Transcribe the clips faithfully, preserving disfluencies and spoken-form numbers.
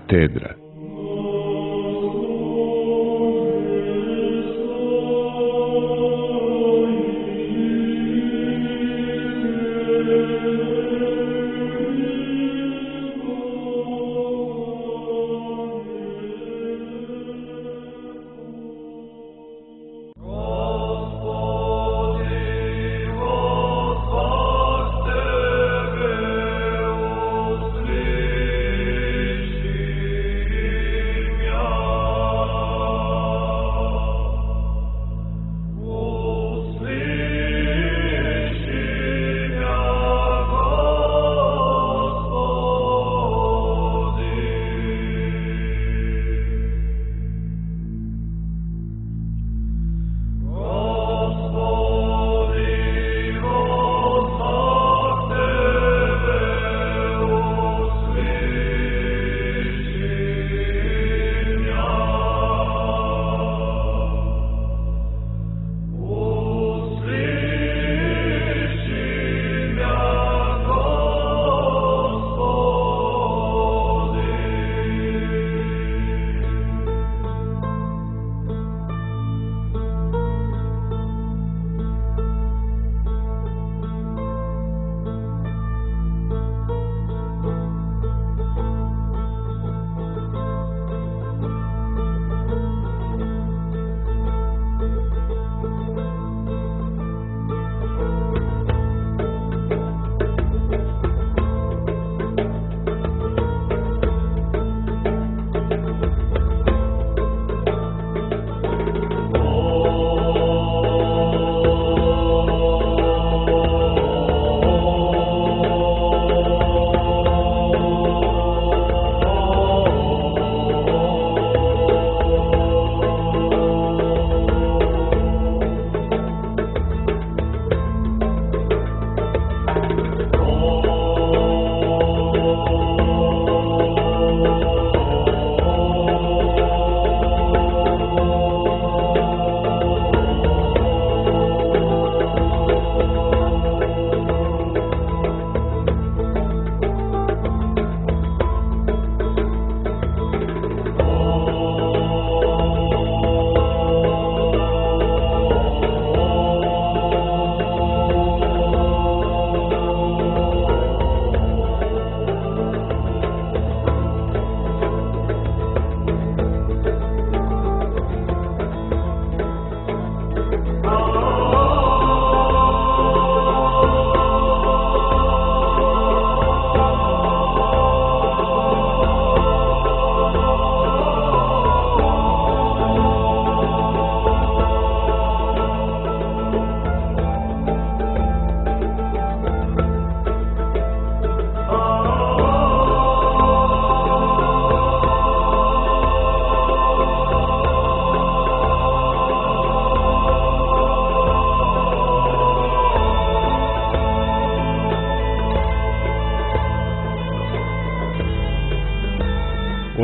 Katedra.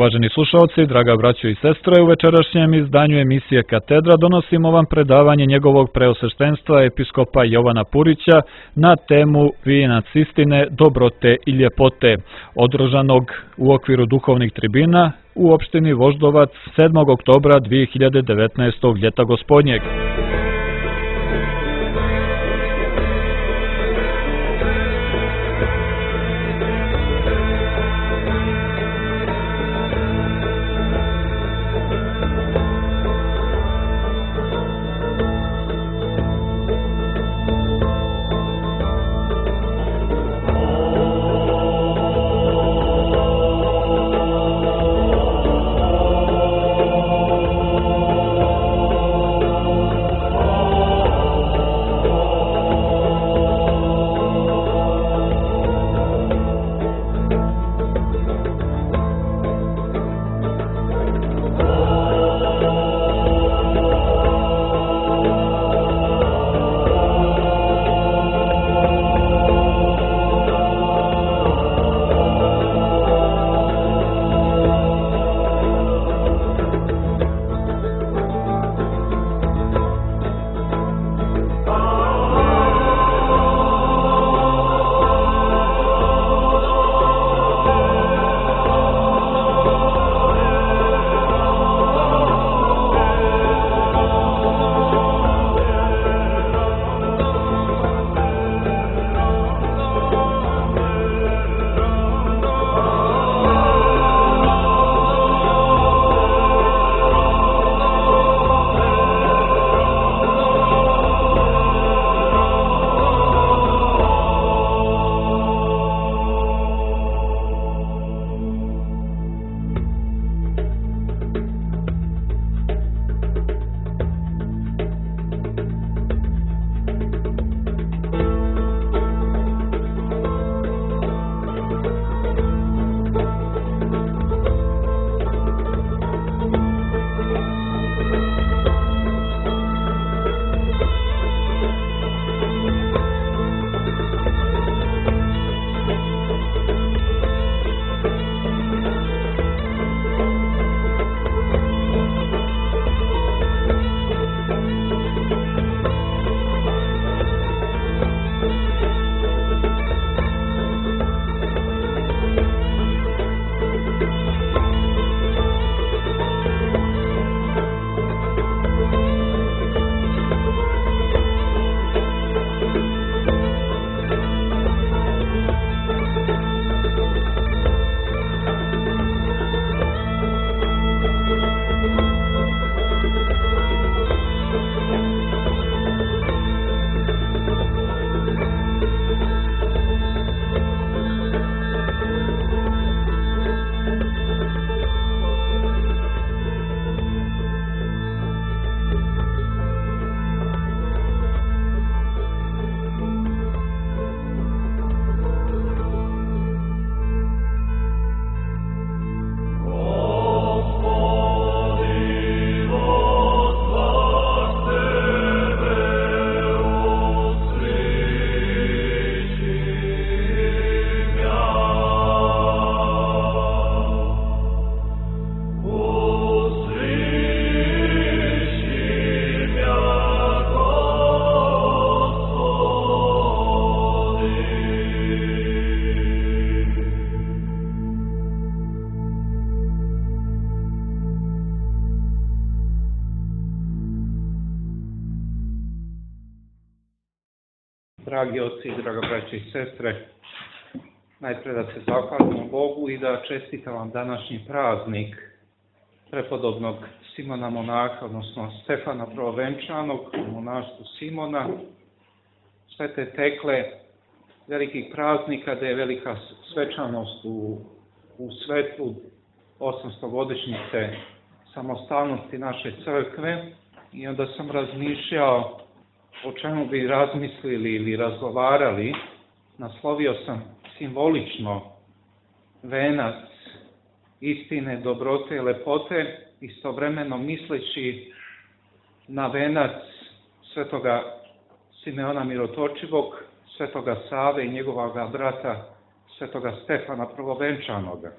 Uvaženi slušalci, draga braćo i sestre, u večerašnjem izdanju emisije Katedra donosimo vam predavanje njegovog preosveštenstva episkopa Jovana Purića na temu Vijenac istine, dobrote i ljepote, održanog u okviru duhovnih tribina u opštini Voždovac sedmog oktobra dvije hiljade devetnaestog ljeta gospodnjeg. dragi oci i draga braće i sestre, najpre da se zahvalimo Bogu i da čestitam vam današnji praznik prepodobnog Simona Monaha, odnosno Stefana Prvovenčanog, u monaštvu Simona, sve te tekle velikih praznika, da je velika svečanost u, u svetlu osamstogodišnjice samostalnosti naše crkve. I onda sam razmišljao o čemu bi razmislili ili razgovarali. Naslovio sam simbolično venac istine, dobrote i lepote, istovremeno misleći na venac svetoga Simeona Mirotočivog, svetoga Save i njegovoga brata svetoga Stefana Prvovenčanoga.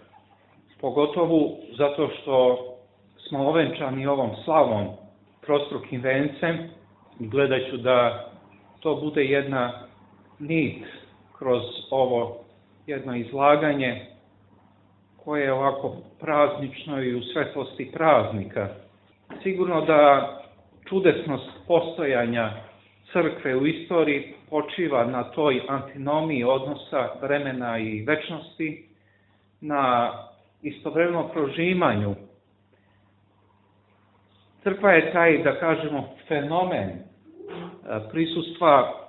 Pogotovo zato što smo ovenčani ovom slavom trostrukim vencem i gledat ću da to bude jedna nit kroz ovo jedno izlaganje koje je ovako praznično i u svetlosti praznika. Sigurno da čudesnost postojanja crkve u istoriji počiva na toj antinomiji odnosa vremena i večnosti, na istovremeno prožimanju. Crkva je taj, da kažemo, fenomen prisustva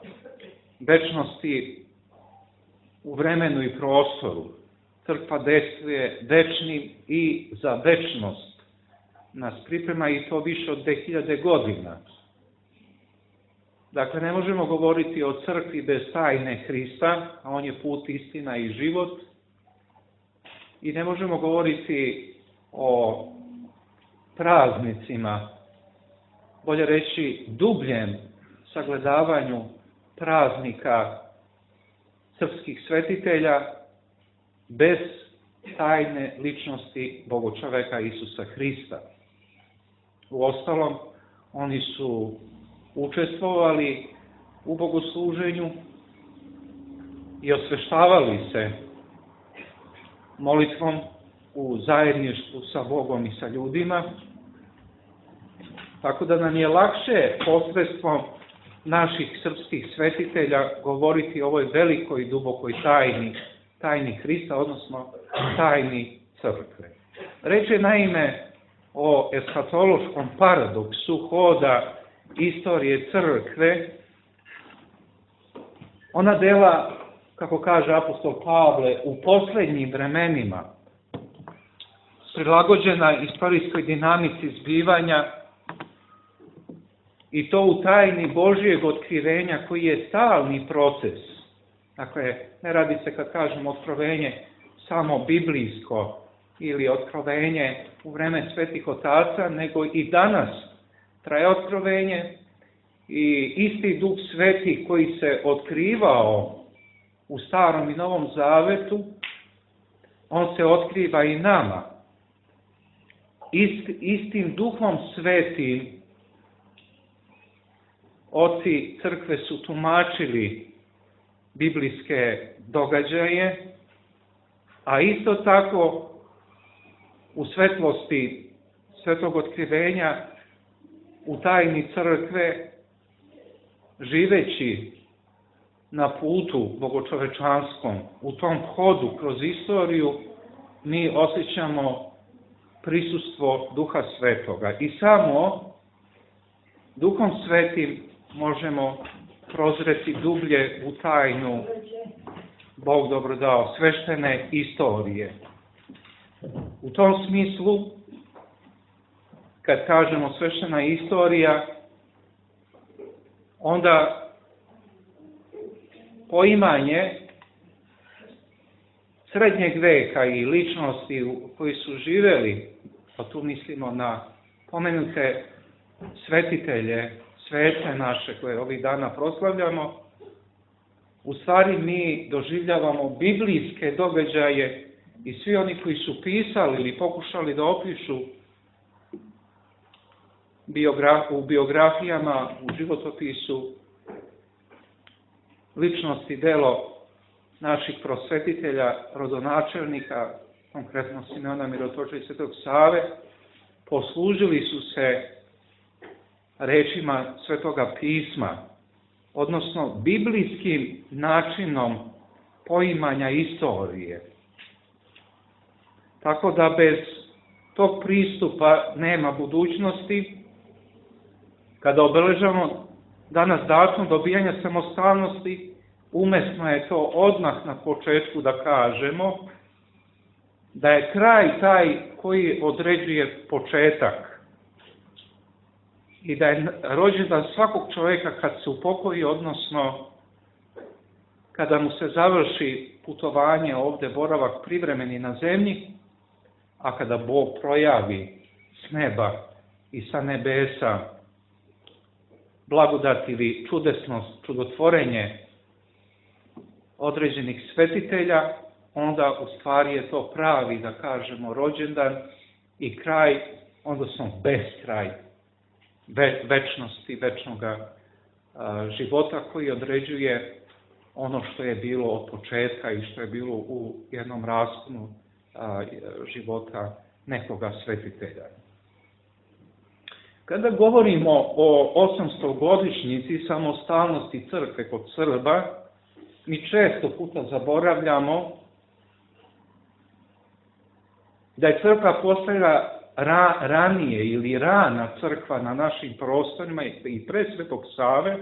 večnosti u vremenu i prostoru. Crkva dejstvuje večnim i za večnost nas priprema, i to više od dve hiljade godina. Dakle, ne možemo govoriti o crkvi bez tajne Hrista, a on je put, istina i život. I ne možemo govoriti o praznicima, bolje reći dubljem sagledavanju praznika srpskih svetitelja bez tajne ličnosti Bogočoveka Isusa Hrista. Uostalom, oni su učestvovali u bogosluženju i osveštavali se molitvom u zajedništvu sa Bogom i sa ljudima, tako da nam je lakše posredstvom naših srpskih svetitelja govoriti o ovoj velikoj i dubokoj tajni, tajni Hrista, odnosno tajni crkve. Reč je naime o eskatološkom paradoksu hoda istorije crkve. Ona dela, kako kaže apostol Pavle, u posljednjim vremenima, prilagođena istorijskoj dinamici zbivanja, i to u tajni Božijeg otkrivenja koji je stalni proces. Dakle, ne radi se, kad kažemo otkrovenje, samo biblijsko ili otkrovenje u vreme svetih otaca, nego i danas traje otkrovenje, i isti Duh Sveti koji se otkrivao u Starom i Novom Zavetu, on se otkriva i nama. Ist, istim Duhom Svetim oci crkve su tumačili biblijske događaje, a isto tako u svetlosti svetog otkrivenja u tajni crkve, živeći na putu bogočovečanskom, u tom hodu kroz istoriju, mi osjećamo prisustvo Duha Svetoga. I samo Duhom Svetim možemo prozreti dublje u tajnu, Bog dobro dao, sveštene istorije. U tom smislu, kad kažemo sveštena istorija, onda poimanje srednjeg veka i ličnosti koji su živeli, pa tu mislimo na pomenute svetitelje, svete naše koje ovih dana proslavljamo, u stvari mi doživljavamo biblijske događaje, i svi oni koji su pisali ili pokušali da opišu u biografijama, u životopisu ličnosti, delo naših prosvetitelja, rodonačelnika, konkretno Simeona Mirotočiva i svetog Save, poslužili su se rečima Svetoga pisma, odnosno biblijskim načinom poimanja istorije. Tako da bez tog pristupa nema budućnosti. Kada obeležavamo danas datum dobijanja samostalnosti, umesno je to odmah na početku da kažemo da je kraj taj koji određuje početak i da je rođendan svakog čovjeka kad se upokoji, odnosno kada mu se završi putovanje ovdje, boravak privremeni na zemlji, a kada Bog projavi s neba i sa nebesa blagodat ili čudesnost, čudotvorenje određenih svetitelja, onda u stvari je to pravi, da kažemo, rođendan i kraj, odnosno beskraj ve, večnosti, večnoga a, života koji određuje ono što je bilo od početka i što je bilo u jednom rasponu a, života nekoga svetitelja. Kada govorimo o osamstogodišnjici samostalnosti crkve kod Srba, mi često puta zaboravljamo da je crkva postojala ra, ranije ili rana crkva na našim prostorima i pre Svetog Save.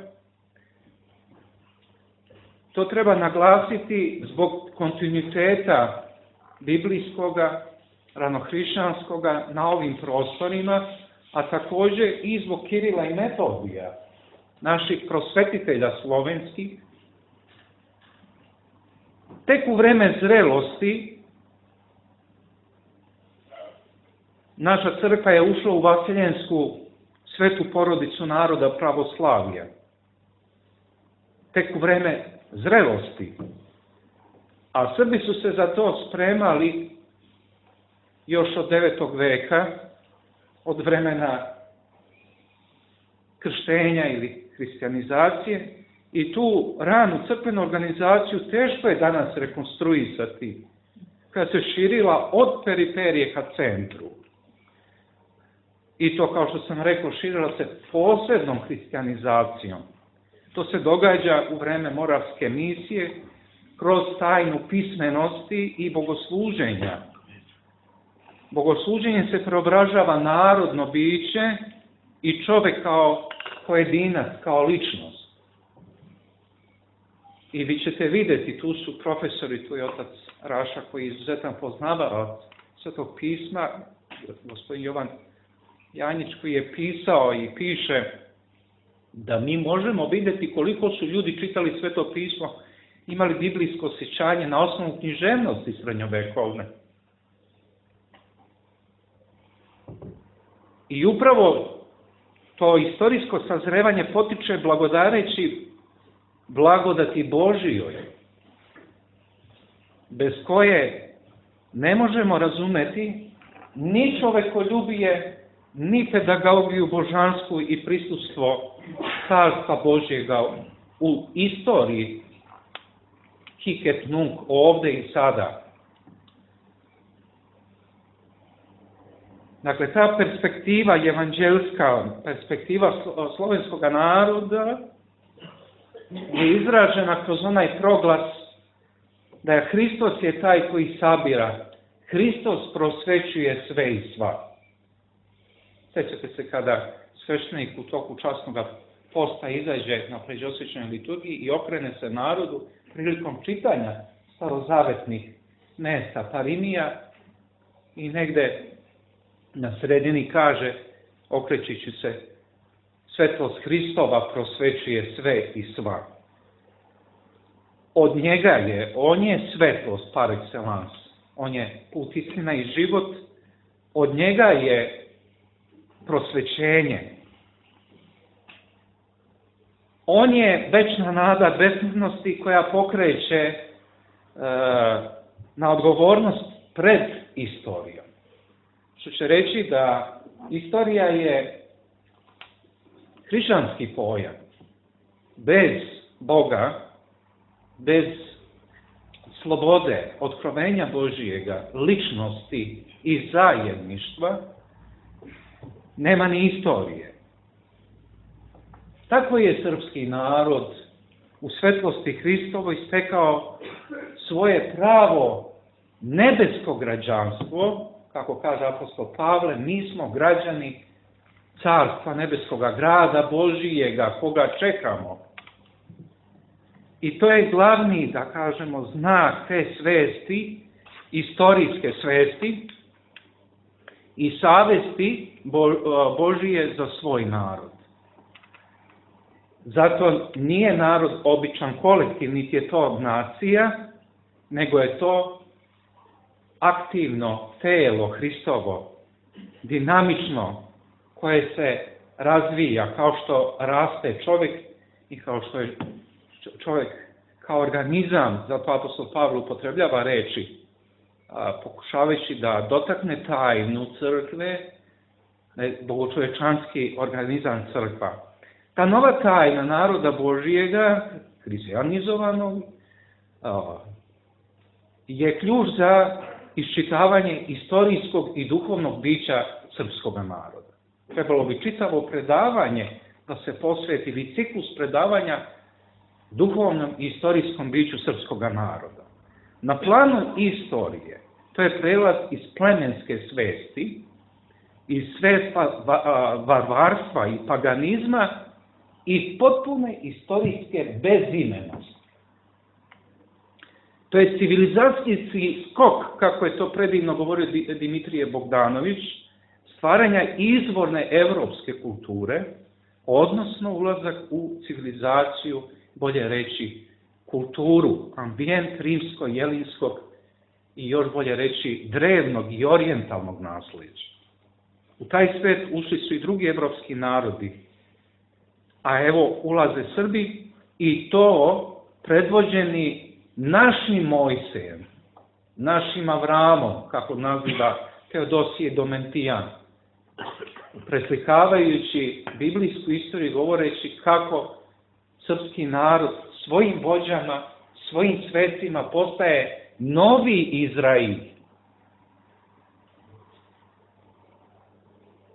To treba naglasiti zbog kontinuiteta biblijskoga, ranohrišćanskoga na ovim prostorima, a također i zbog Kirila i Metodija, naših prosvetitelja slovenskih. Tek u vreme zrelosti naša crkva je ušla u vaseljensku svetu porodicu naroda pravoslavija. Tek u vreme zrelosti. A Srbi su se za to spremali još od devetog veka, od vremena krštenja ili hrišćanizacije, i tu ranu crkvenu organizaciju teško je danas rekonstruisati, kada se širila od periferije ka centru. I to, kao što sam rekao, širila se posebnom hrišćanizacijom. To se događa u vreme Moravske misije, kroz tajnu pismenosti i bogosluženja. Bogosluženje se preobražava narodno biće i čovjek kao pojedinac, kao ličnost. I vi ćete vidjeti, tu su profesori, tu je otac Raša koji je izuzetan poznavalac Svetog pisma, gospodin Jovan Janjić koji je pisao i piše da mi možemo vidjeti koliko su ljudi čitali Sveto pismo, imali biblijsko osjećanje na osnovu književnosti srednjovekovne. I upravo to istorijsko sazrevanje potiče blagodareći blagodati Božijoj, bez koje ne možemo razumeti ni čovekoljubije, ni pedagogiju božansku i prisustvo Carstva Božjega u istoriji hic et nunc, ovdje i sada. Dakle, ta perspektiva evanđelska, perspektiva slovenskog naroda je izražena kroz onaj proglas da je Hristos je taj koji sabira. Hristos prosvećuje sve i sva. Sjećate se kada sveštenik u toku časnog posta izađe na pređosvećenoj liturgiji i okrene se narodu prilikom čitanja starozavetnih mesta parimija i negde na sredini kaže, okrećući se, svetlost Hristova prosvećuje sve i sva. Od njega je, on je svetlost par excellence, on je put, istina i život, od njega je prosvećenje. On je večna nada besmrtnosti koja pokreće e, na odgovornost pred istorijom. Što će reći da istorija je hrišćanski pojam. Bez Boga, bez slobode, otkrovenja Božijega, ličnosti i zajedništva, nema ni istorije. Tako je srpski narod u svetlosti Hristovoj stekao svoje pravo nebesko građanstvo, kako kaže apostol Pavle, mi smo građani carstva nebeskoga, grada Božijega, koga čekamo. I to je glavni, da kažemo, znak te svesti, istorijske svesti i savesti Božije za svoj narod. Zato nije narod običan kolektiv, niti je to nacija, nego je to aktivno telo Hristovo, dinamično, koje se razvija kao što raste čovjek i kao što je čovjek kao organizam, zato apostol Pavle upotrebljava reči, pokušavajući da dotakne tajnu crkve, bogočovečanski organizam crkva. Ta nova tajna naroda Božijega, hrišćanizovanog, je ključ za iščitavanje istorijskog i duhovnog bića srpskog naroda. Trebalo bi čitavo predavanje da se posveti, ili ciklus predavanja duhovnom i istorijskom biću srpskog naroda. Na planu istorije, to je prelaz iz plemenske svesti, iz svesta varvarstva i paganizma i potpune istorijske bezimenosti. To je civilizacijski skok, kako je to predivno govorio Dimitrije Bogdanović, stvaranja izvorne evropske kulture, odnosno ulazak u civilizaciju, bolje reći, kulturu, ambijent rimsko-jelinskog i još bolje reći drevnog i orijentalnog naslijeđa. U taj svet ušli su i drugi evropski narodi, a evo ulaze Srbi i to predvođeni našim Mojsejem, našim Avramom, kako naziva Teodosije Domentijan, preslikavajući biblijsku istoriju, govoreći kako srpski narod svojim vođama, svojim svecima postaje novi Izrail.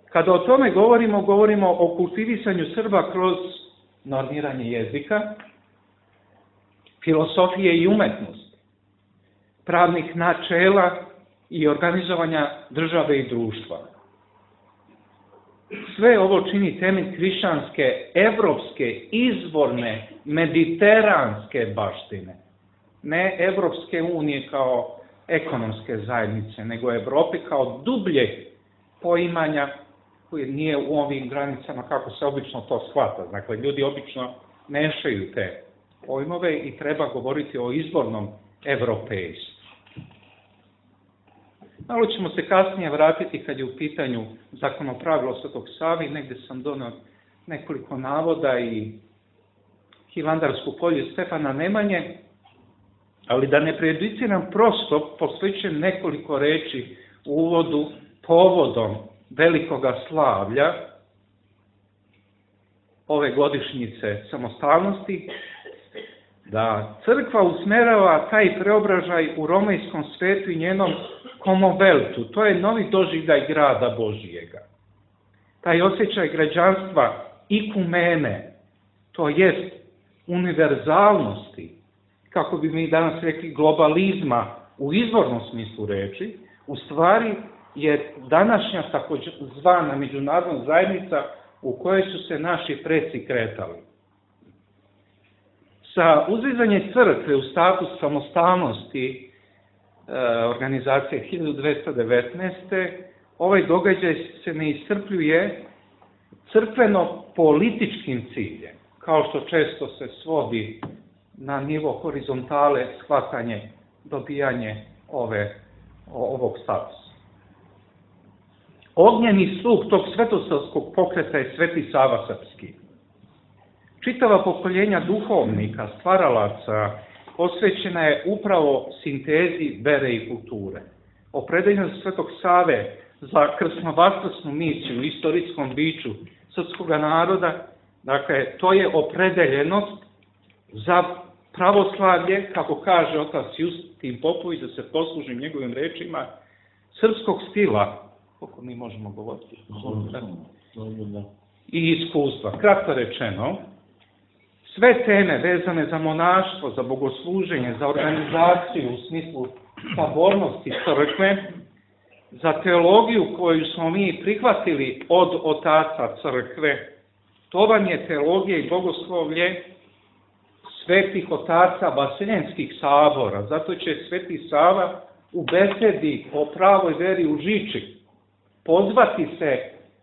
Kada o tome govorimo, govorimo o kultivisanju Srba kroz normiranje jezika, filosofije i umetnosti, pravnih načela i organizovanja države i društva. Sve ovo čini temelj hrišćanske, evropske, izvorne, mediteranske baštine. Ne Evropske unije kao ekonomske zajednice, nego Evrope kao dubljeg poimanja koje nije u ovim granicama kako se obično to shvata. Dakle, ljudi obično mešaju te pojmove i treba govoriti o izvornom evropejstvu. Malo ćemo se kasnije vratiti kad je u pitanju zakonopravilo Svetog Save, negdje sam donio nekoliko navoda i Hilandarsku polju Stefana Nemanje, ali da ne prejudiciram, prosto posvećujem nekoliko reči u uvodu povodom velikoga slavlja ove godišnjice samostalnosti, da crkva usmerava taj preobražaj u romejskom svetu i njenom komoveltu. To je novi doživljaj grada Božijega. Taj osjećaj građanstva ikumene, to jest univerzalnosti, kako bi mi danas rekli globalizma u izvornom smislu reči, u stvari je današnja takozvana međunarodna zajednica u kojoj su se naši preci kretali. Sa uzizanjem crkve u status samostalnosti e, organizacije hiljadu dvesta devetnaeste. ovaj događaj se ne iscrpljuje crkveno-političkim ciljem, kao što često se svodi na nivo horizontale shvatanje, dobijanje ove, ovog statusa. Ognjeni sluh tog svetosavskog pokreta je Sveti Sava Srpski. Čitava pokoljenja duhovnika, stvaralaca, posvećena je upravo sintezi vere i kulture. Opredeljenost Svetog Save za krsnovaskrsnu misiju u istorijskom biću srpskog naroda, dakle, to je opredeljenost za pravoslavlje, kako kaže otac Justin Popović, da se poslužim njegovim rečima, srpskog stila, koliko mi možemo govoriti, i iskustva. Kratko rečeno, sve teme vezane za monaštvo, za bogosluženje, za organizaciju u smislu sabornosti crkve, za teologiju koju smo mi prihvatili od otaca crkve, to vam je teologija i bogoslovlje svetih otaca vaseljenskih sabora. Zato će Sveti Sava u besedi o pravoj veri u Žiči pozvati se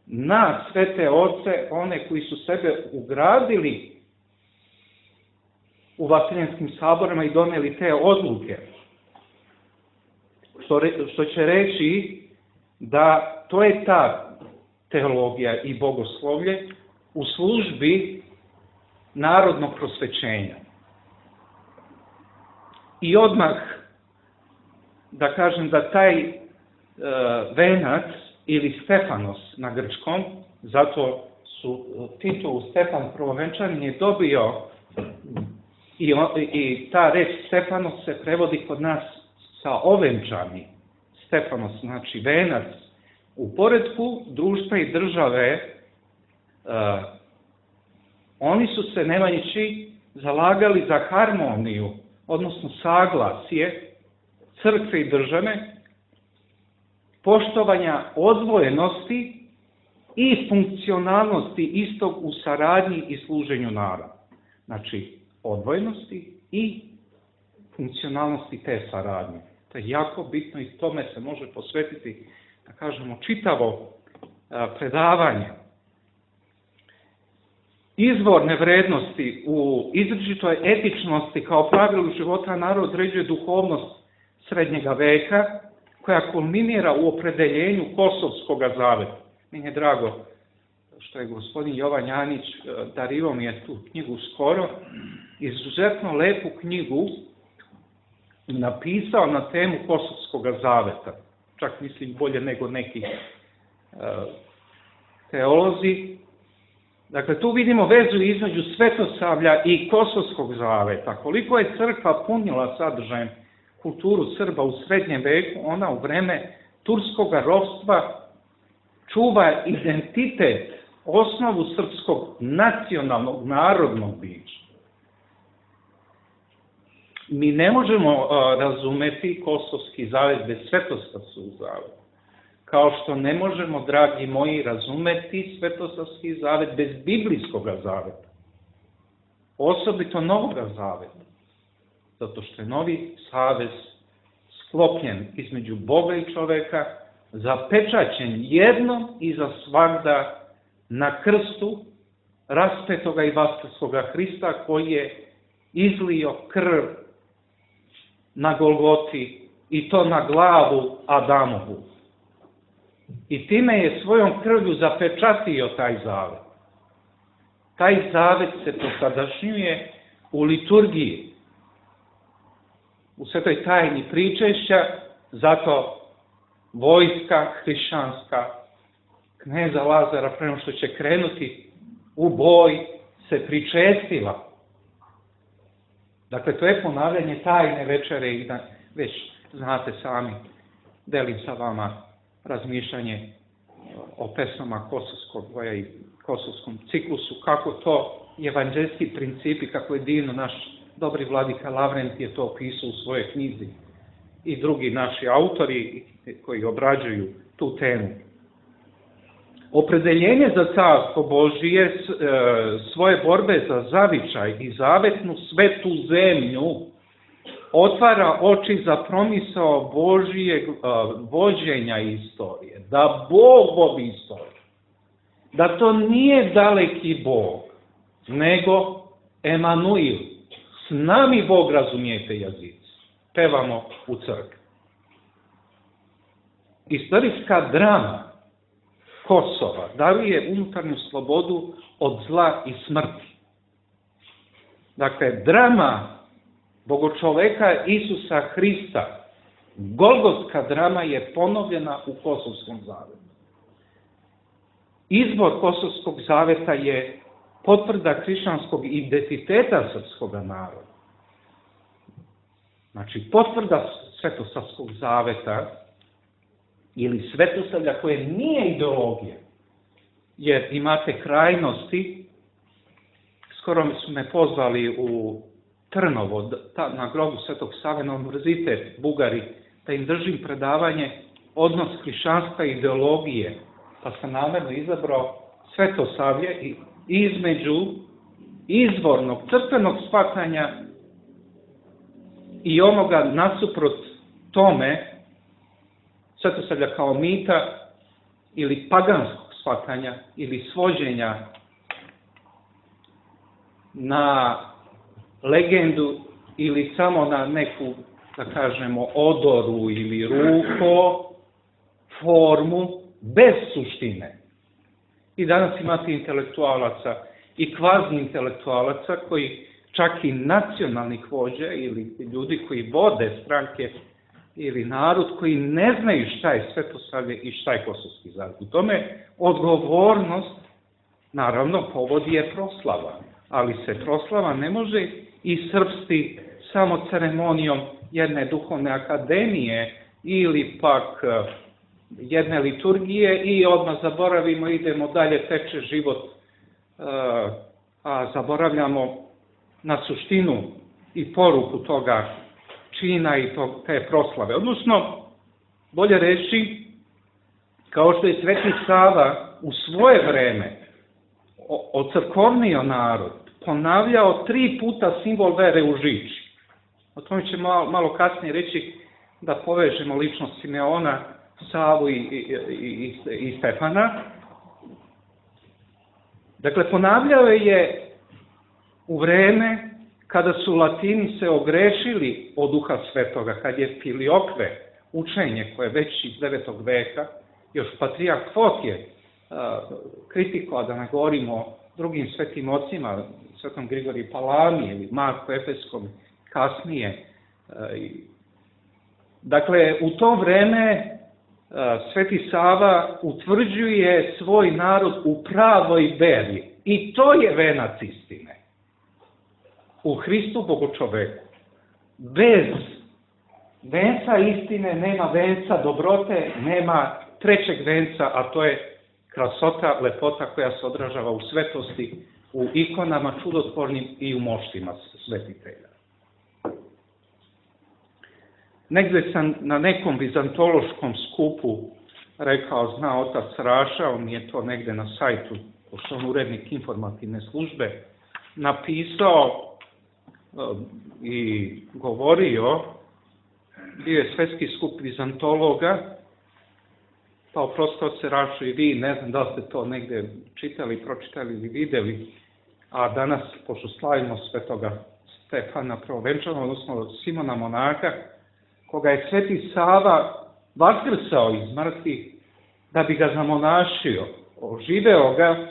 na svete oce, one koji su sebe ugradili u vaseljenskim saborima i doneli te odluke. Što, re, što će reći da to je ta teologija i bogoslovlje u službi narodnog prosvećenja. I odmah da kažem da taj e, venac ili Stefanos na grčkom, zato su titulu Stefan Prvovenčanin je dobio i, i ta reč Stefanos se prevodi kod nas sa ovenčani. Stefanos znači venac. U poretku društva i države uh, oni su se Nemanjići zalagali za harmoniju, odnosno saglasje crkve i države, poštovanja odvojenosti i funkcionalnosti istog u saradnji i služenju naroda. Znači, odvojenosti i funkcionalnosti te saradnje. To je jako bitno i tome se može posvetiti, da kažemo, čitavo predavanje. Izvorne vrednosti u izričitoj etičnosti kao pravilu života narod određuje duhovnost srednjega veka, koja kulminira u opredeljenju Kosovskog zaveta. Meni je drago što je gospodin Jovan Janić, darivao mi je tu knjigu skoro, izuzetno lepu knjigu napisao na temu Kosovskog zaveta. Čak mislim bolje nego neki uh, teolozi. Dakle, tu vidimo vezu između Svetosavlja i Kosovskog zaveta. Koliko je crkva punila sadržajem kulturu Srba u srednjem veku, ona u vreme turskog ropstva čuva identitet, osnovu srpskog nacionalnog, narodnog bića. Mi ne možemo uh, razumeti Kosovski zavet bez Svetosavskog zaveta. Kao što ne možemo, dragi moji, razumeti Svetosavski zavet bez Biblijskog zaveta. Osobito Novog zaveta. Zato što je novi savez sklopljen između Boga i čoveka, zapečaćen jednom i za svagda na krstu raspetoga i vaskrskoga Hrista koji je izlio krv na Golgoti i to na glavu Adamovu. I time je svojom krvlju zapečatio taj zavet. Taj zavet se posadašnjuje u liturgiji, u svetoj tajni pričešća, zato vojska hrišćanska kneza Lazara, prema što će krenuti u boj, se pričestila. Dakle, to je ponavljanje tajne večere i da već znate sami, delim sa vama razmišljanje o pesmama Kosovskog boja i Kosovskom ciklusu, kako to evanđelski principi, kako je divno naš dobri vladika Lavrent je to opisao u svojoj knjizi i drugi naši autori koji obrađuju tu temu. Opredeljenje za carstvo Božije, svoje borbe za zavičaj i zavetnu svetu zemlju otvara oči za promisao Božijeg vođenja istorije, da Bog vodi istoriju, da to nije daleki Bog, nego Emanuil, s nami Bog, razumijete, jezici, pevamo u crkvi. Istorijska drama Kosova daruje unutarnju slobodu od zla i smrti. Dakle, drama bogočoveka Isusa Hrista, golgotska drama, je ponovljena u Kosovskom zavetu. Izbor Kosovskog zaveta je potvrda hrišćanskog identiteta srpskog naroda. Znači, potvrda Svetosavskog zaveta ili Svetosavlja koje nije ideologija, jer imate krajnosti s skoro su me pozvali u Trnovo, na grobu Svetog Save, na univerzitet Bugari, da im držim predavanje odnos hrišćanstva i ideologije, pa sam namjerno izabrao Svetosavlje i između izvornog crkvenog shvatanja i onoga nasuprot tome Svetosavlja kao mita ili paganskog shvatanja ili svođenja na legendu ili samo na neku, da kažemo, odoru ili ruko, formu, bez suštine. I danas imate intelektualaca i kvazi intelektualaca koji čak i nacionalnih vođa ili ljudi koji vode stranke ili narod koji ne znaju šta je Svetosavlje i šta je Kosovski zavjet. U tome odgovornost, naravno, povodi je proslava, ali se proslava ne može iscrpsti samo ceremonijom jedne duhovne akademije ili pak jedne liturgije i odmah zaboravimo, idemo dalje, teče život, a zaboravljamo na suštinu i poruku toga čina i te proslave. Odnosno, bolje reći, kao što je Sveti Sava u svoje vreme ocrkovnio narod, ponavljao tri puta simbol vere u žiči. O tome će malo, malo kasnije reći da povežemo ličnost Simeona, Savu i, i, i, i Stefana. Dakle, ponavljao je u vreme kada su Latini se ogrešili od Duha Svetoga, kad je Filiokve, učenje koje je već iz devetog veka, još Patrijarh Fotije kritikovao, da ne govorimo o drugim svetim ocima, Svetom Grigoriju Palami ili Marku Efeskom kasnije. Dakle, u to vreme Sveti Sava utvrđuje svoj narod u pravoj veri. I to je venac istine. U Hristu Bogočoveku. Bez venca istine nema venca dobrote, nema trećeg venca, a to je krasota, lepota koja se odražava u svetosti, u ikonama čudotvornim i u moštima svetitelja. Negde sam na nekom vizantološkom skupu rekao, zna otac Raša, on je to negde na sajtu, pošto on urednik informativne službe, napisao i govorio, bio je svetski skup vizantologa, pa oprostio se Rašu i vi, ne znam da li ste to negde čitali, pročitali ili videli, a danas, pošto slavimo svetoga Stefana Prvovenčanog, odnosno Simona Monaka, koga je Sveti Sava vaskrsao iz mrtvih da bi ga zamonašio, oživeo ga,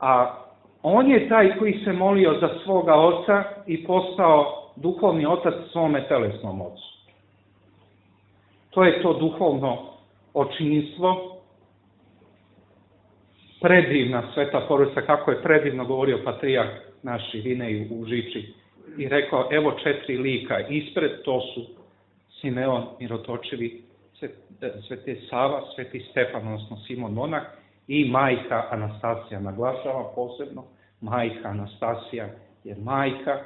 a on je taj koji se molio za svoga oca i postao duhovni otac svome telesnom ocu. To je to duhovno očinstvo, predivna sveta porodica, kako je predivno govorio Patrijarh naš Irinej u Žiči. I rekao, evo četiri lika ispred, to su Simeon Mirotočevi, Sveti Sava, Sveti Stefan, odnosno Simon Monak i majka Anastasija. Naglašavam posebno, majka Anastasija, jer majka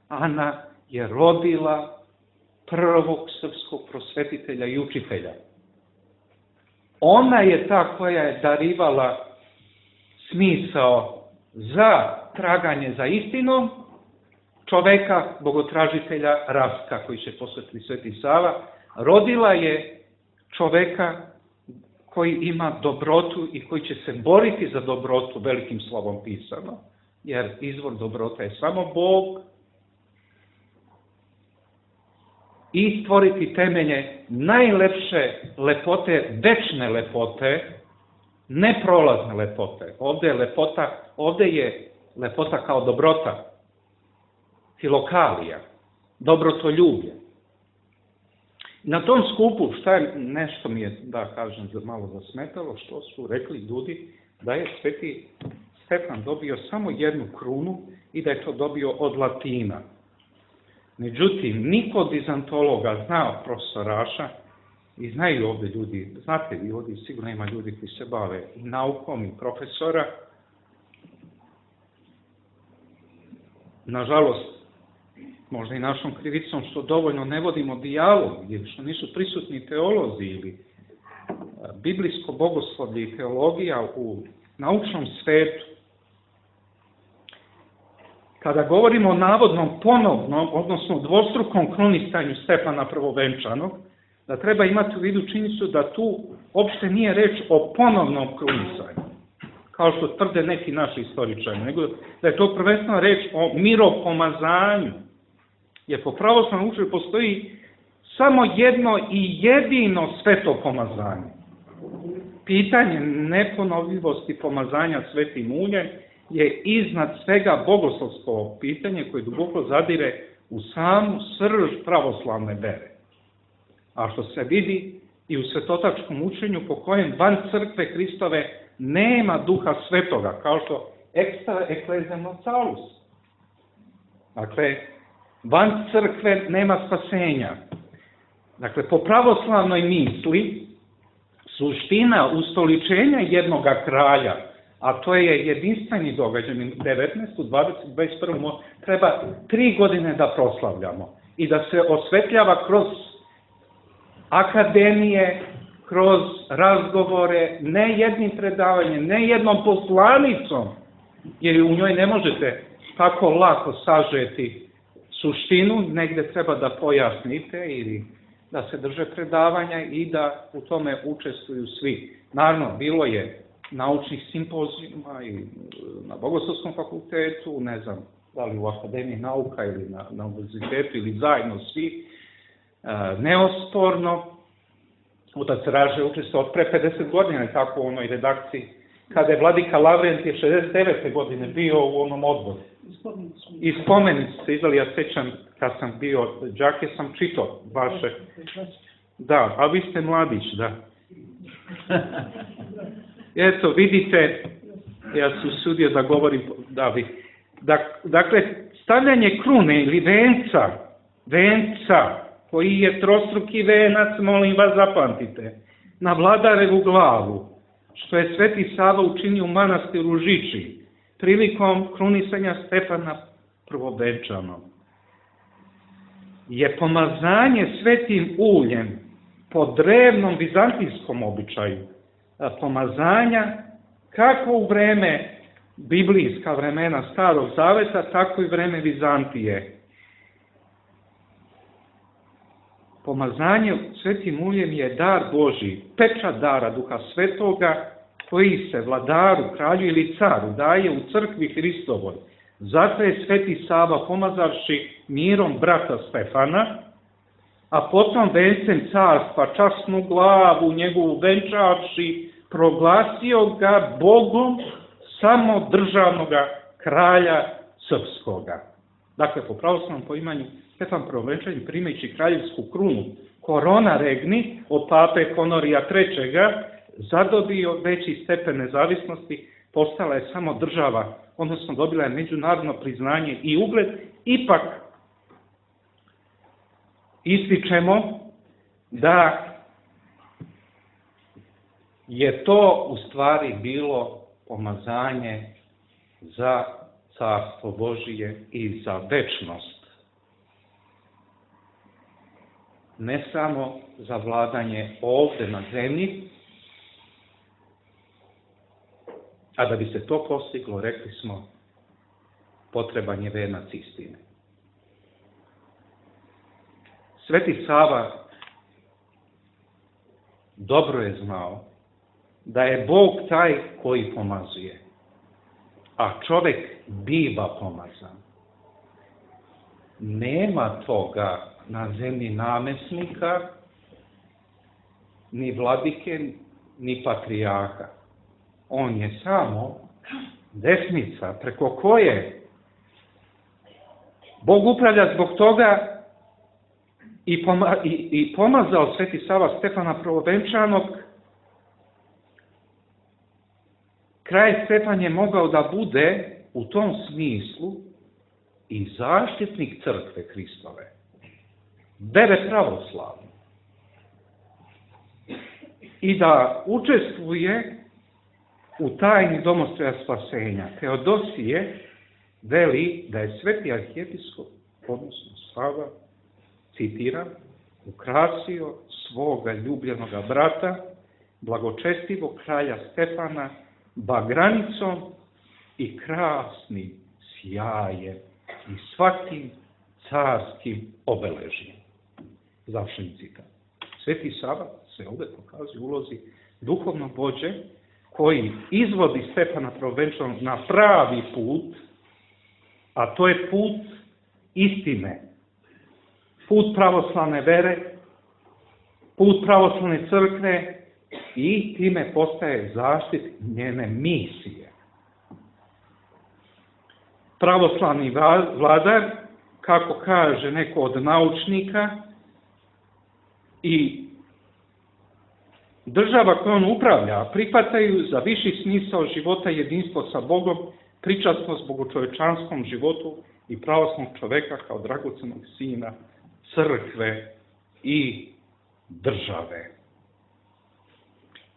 Ana je rodila prvog srpskog prosvetitelja i učitelja. Ona je ta koja je darivala smisao za traganje za istinom čoveka, bogotražitelja Rastka, koji će posvetiti Sveti Sava. Rodila je čoveka koji ima dobrotu i koji će se boriti za dobrotu, velikim slovom pisano, jer izvor dobrota je samo Bog, i stvoriti temelje najlepše lepote, večne lepote, neprolazne lepote. Ovde je lepota, ovde je lepota kao dobrota, filokalija, dobrotoljublje. Na tom skupu, šta je, nešto mi je, da kažem, malo zasmetalo, što su rekli ljudi da je Sveti Stefan dobio samo jednu krunu i da je to dobio od Latina. Međutim, niko od vizantologa zna profesor Raša i znaju ovde ljudi, znate vi ovdje sigurno ima ljudi koji se bave i naukom i profesora, nažalost, možda i našom krivicom što dovoljno ne vodimo dijalog, ili što nisu prisutni teolozi ili biblijsko bogoslovlje i teologija u naučnom svetu. Kada govorimo o navodnom ponovnom, odnosno dvostrukom krunisanju Stefana Prvovenčanog, da treba imati u vidu činjenicu da tu uopšte nije reč o ponovnom krunisanju, kao što tvrde neki naši istoričari, nego da je to prvenstveno reč o miropomazanju. Jer po pravoslavnom učenju postoji samo jedno i jedino sveto pomazanje. Pitanje neponovljivosti pomazanja svetim uljem je iznad svega bogoslovsko pitanje koje duboko zadire u samu srž pravoslavne vere. A što se vidi i u svetotačkom učenju po kojem van crkve Hristove nema duha svetoga, kao što extra ecclesiam salus. Dakle, van crkve nema spasenja. Dakle, po pravoslavnoj misli, suština ustoličenja jednoga kralja, a to je jedinstveni događaj, devetnaestu, dvadesetu, dvadeset prvu treba tri godine da proslavljamo i da se osvetljava kroz akademije, kroz razgovore, ne jednim predavanjem, ne jednom poslanicom, jer u njoj ne možete tako lako sažeti suštinu, negde treba da pojasnite ili da se drže predavanja i da u tome učestvuju svi. Naravno, bilo je naučnih simpozijuma i na Bogoslovskom fakultetu, ne znam, da li u Akademiji nauka ili na, na univerzitetu ili zajedno svi, e, neosporno. Otac Raže učestvovao od pre pedeset godina, tako u onoj redakciji, kada je vladika Lavrentije šezdeset devete godine bio u onom odboru. I spomenici se izdali, ja sećam, kad sam bio đake, sam čitao vaše. Da, a vi ste mladić, da. Eto, vidite, ja sam usudio da govorim, da vi. Dakle, stavljanje krune ili venca, venca, koji je trostruki venac, molim vas zapamtite, na vladarevu glavu, što je Sveti Sava učinio u manastiru Žiči, prilikom krunisanja Stefana Prvovenčanog, je pomazanje svetim uljem po drevnom vizantijskom običaju, pomazanja kako u vreme biblijska vremena Starog Zaveta, tako i vreme Vizantije. Pomazanje svetim uljem je dar Božji, pečat dara Duha Svetoga, koji se vladaru, kralju ili caru daje u crkvi Hristovoj. Zato je Sveti Sava, pomazavši mirom brata Stefana, a potom vencem carstva, časnu glavu njegovu venčavši, proglasio ga Bogom samodržavnoga kralja srpskoga. Dakle, po pravoslavnom poimanju, Stefan Prvovenčanin, primajući kraljevsku krunu korona regni od pape Honorija trećega, zadobio veći stepen nezavisnosti, postala je samo država, odnosno dobila je međunarodno priznanje i ugled. Ipak ističemo da je to u stvari bilo pomazanje za carstvo Božije i za večnost. Ne samo za vladanje ovde na zemlji, a da bi se to postiglo, rekli smo, potreban je venac istine. Sveti Sava dobro je znao da je Bog taj koji pomazuje, a čovek biva pomazan. Nema toga na zemlji namesnika, ni vladike, ni patrijarha. On je samo desnica preko koje Bog upravlja. Zbog toga i, poma, i, i pomazao Sveti Sava Stefana Prvovenčanog. Kralj Stefan je mogao da bude u tom smislu i zaštitnik crkve Hristove, vere pravoslavne, i da učestvuje u tajni domostroja spasenja. Teodosije veli da je sveti arhijepiskop, odnosno Sava, citiram, ukrasio svoga ljubljenoga brata, blagočestivog kralja Stefana, bagranicom i krasnim sjajem i svakim carskim obeležjem. Završen citat. Sveti Sava se ovdje pokazuje u ulozi duhovnog vođe koji izvodi Stefana Prvovenčanog na pravi put, a to je put istine, put pravoslavne vere, put pravoslavne crkve i time postaje zaštit njene misije. Pravoslavni vladar, kako kaže neko od naučnika, i država koju on upravlja prihvataju za viši smisao života jedinstvo sa Bogom, pričasnost bogočovečanskom životu i pravoslavnog čoveka kao dragocenog sina crkve i države.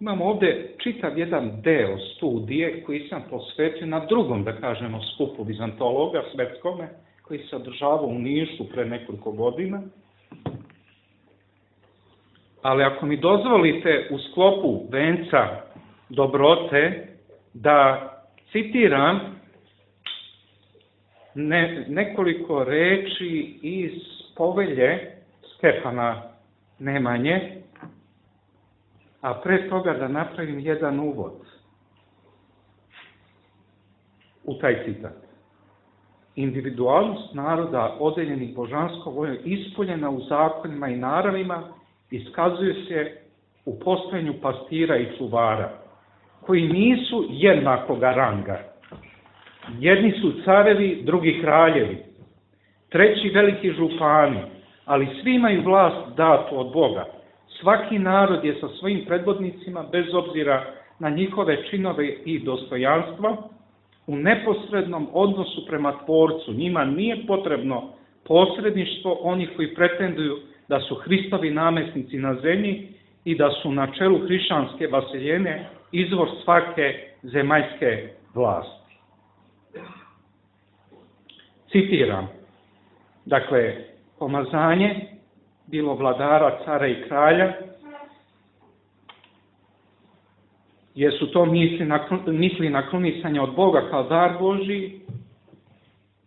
Imamo ovdje čitav jedan deo studije koji sam posvetio na drugom, da kažemo, skupu vizantologa svetskome, koji se održavao u Nišu pre nekoliko godina. Ali ako mi dozvolite u sklopu venca dobrote da citiram ne, nekoliko reči iz povelje Stefana Nemanje, a pre toga da napravim jedan uvod u taj citat. Individualnost naroda odeljenih božanskom voljom ispoljena u zakonima i naravima iskazuje se u postojanju pastira i čuvara, koji nisu jednakoga ranga. Jedni su carevi, drugi kraljevi, treći veliki župani, ali svi imaju vlast datu od Boga. Svaki narod je sa svojim predvodnicima, bez obzira na njihove činove i dostojanstva, u neposrednom odnosu prema Tvorcu. Njima nije potrebno posredništvo onih koji pretenduju da su Hristovi namjesnici na zemlji i da su na čelu hrišćanske vaseljene izvor svake zemaljske vlasti. Citiram, dakle, pomazanje bilo vladara, cara i kralja, jer su to misli na, misli na krunisanje od Boga kao dar Božiji,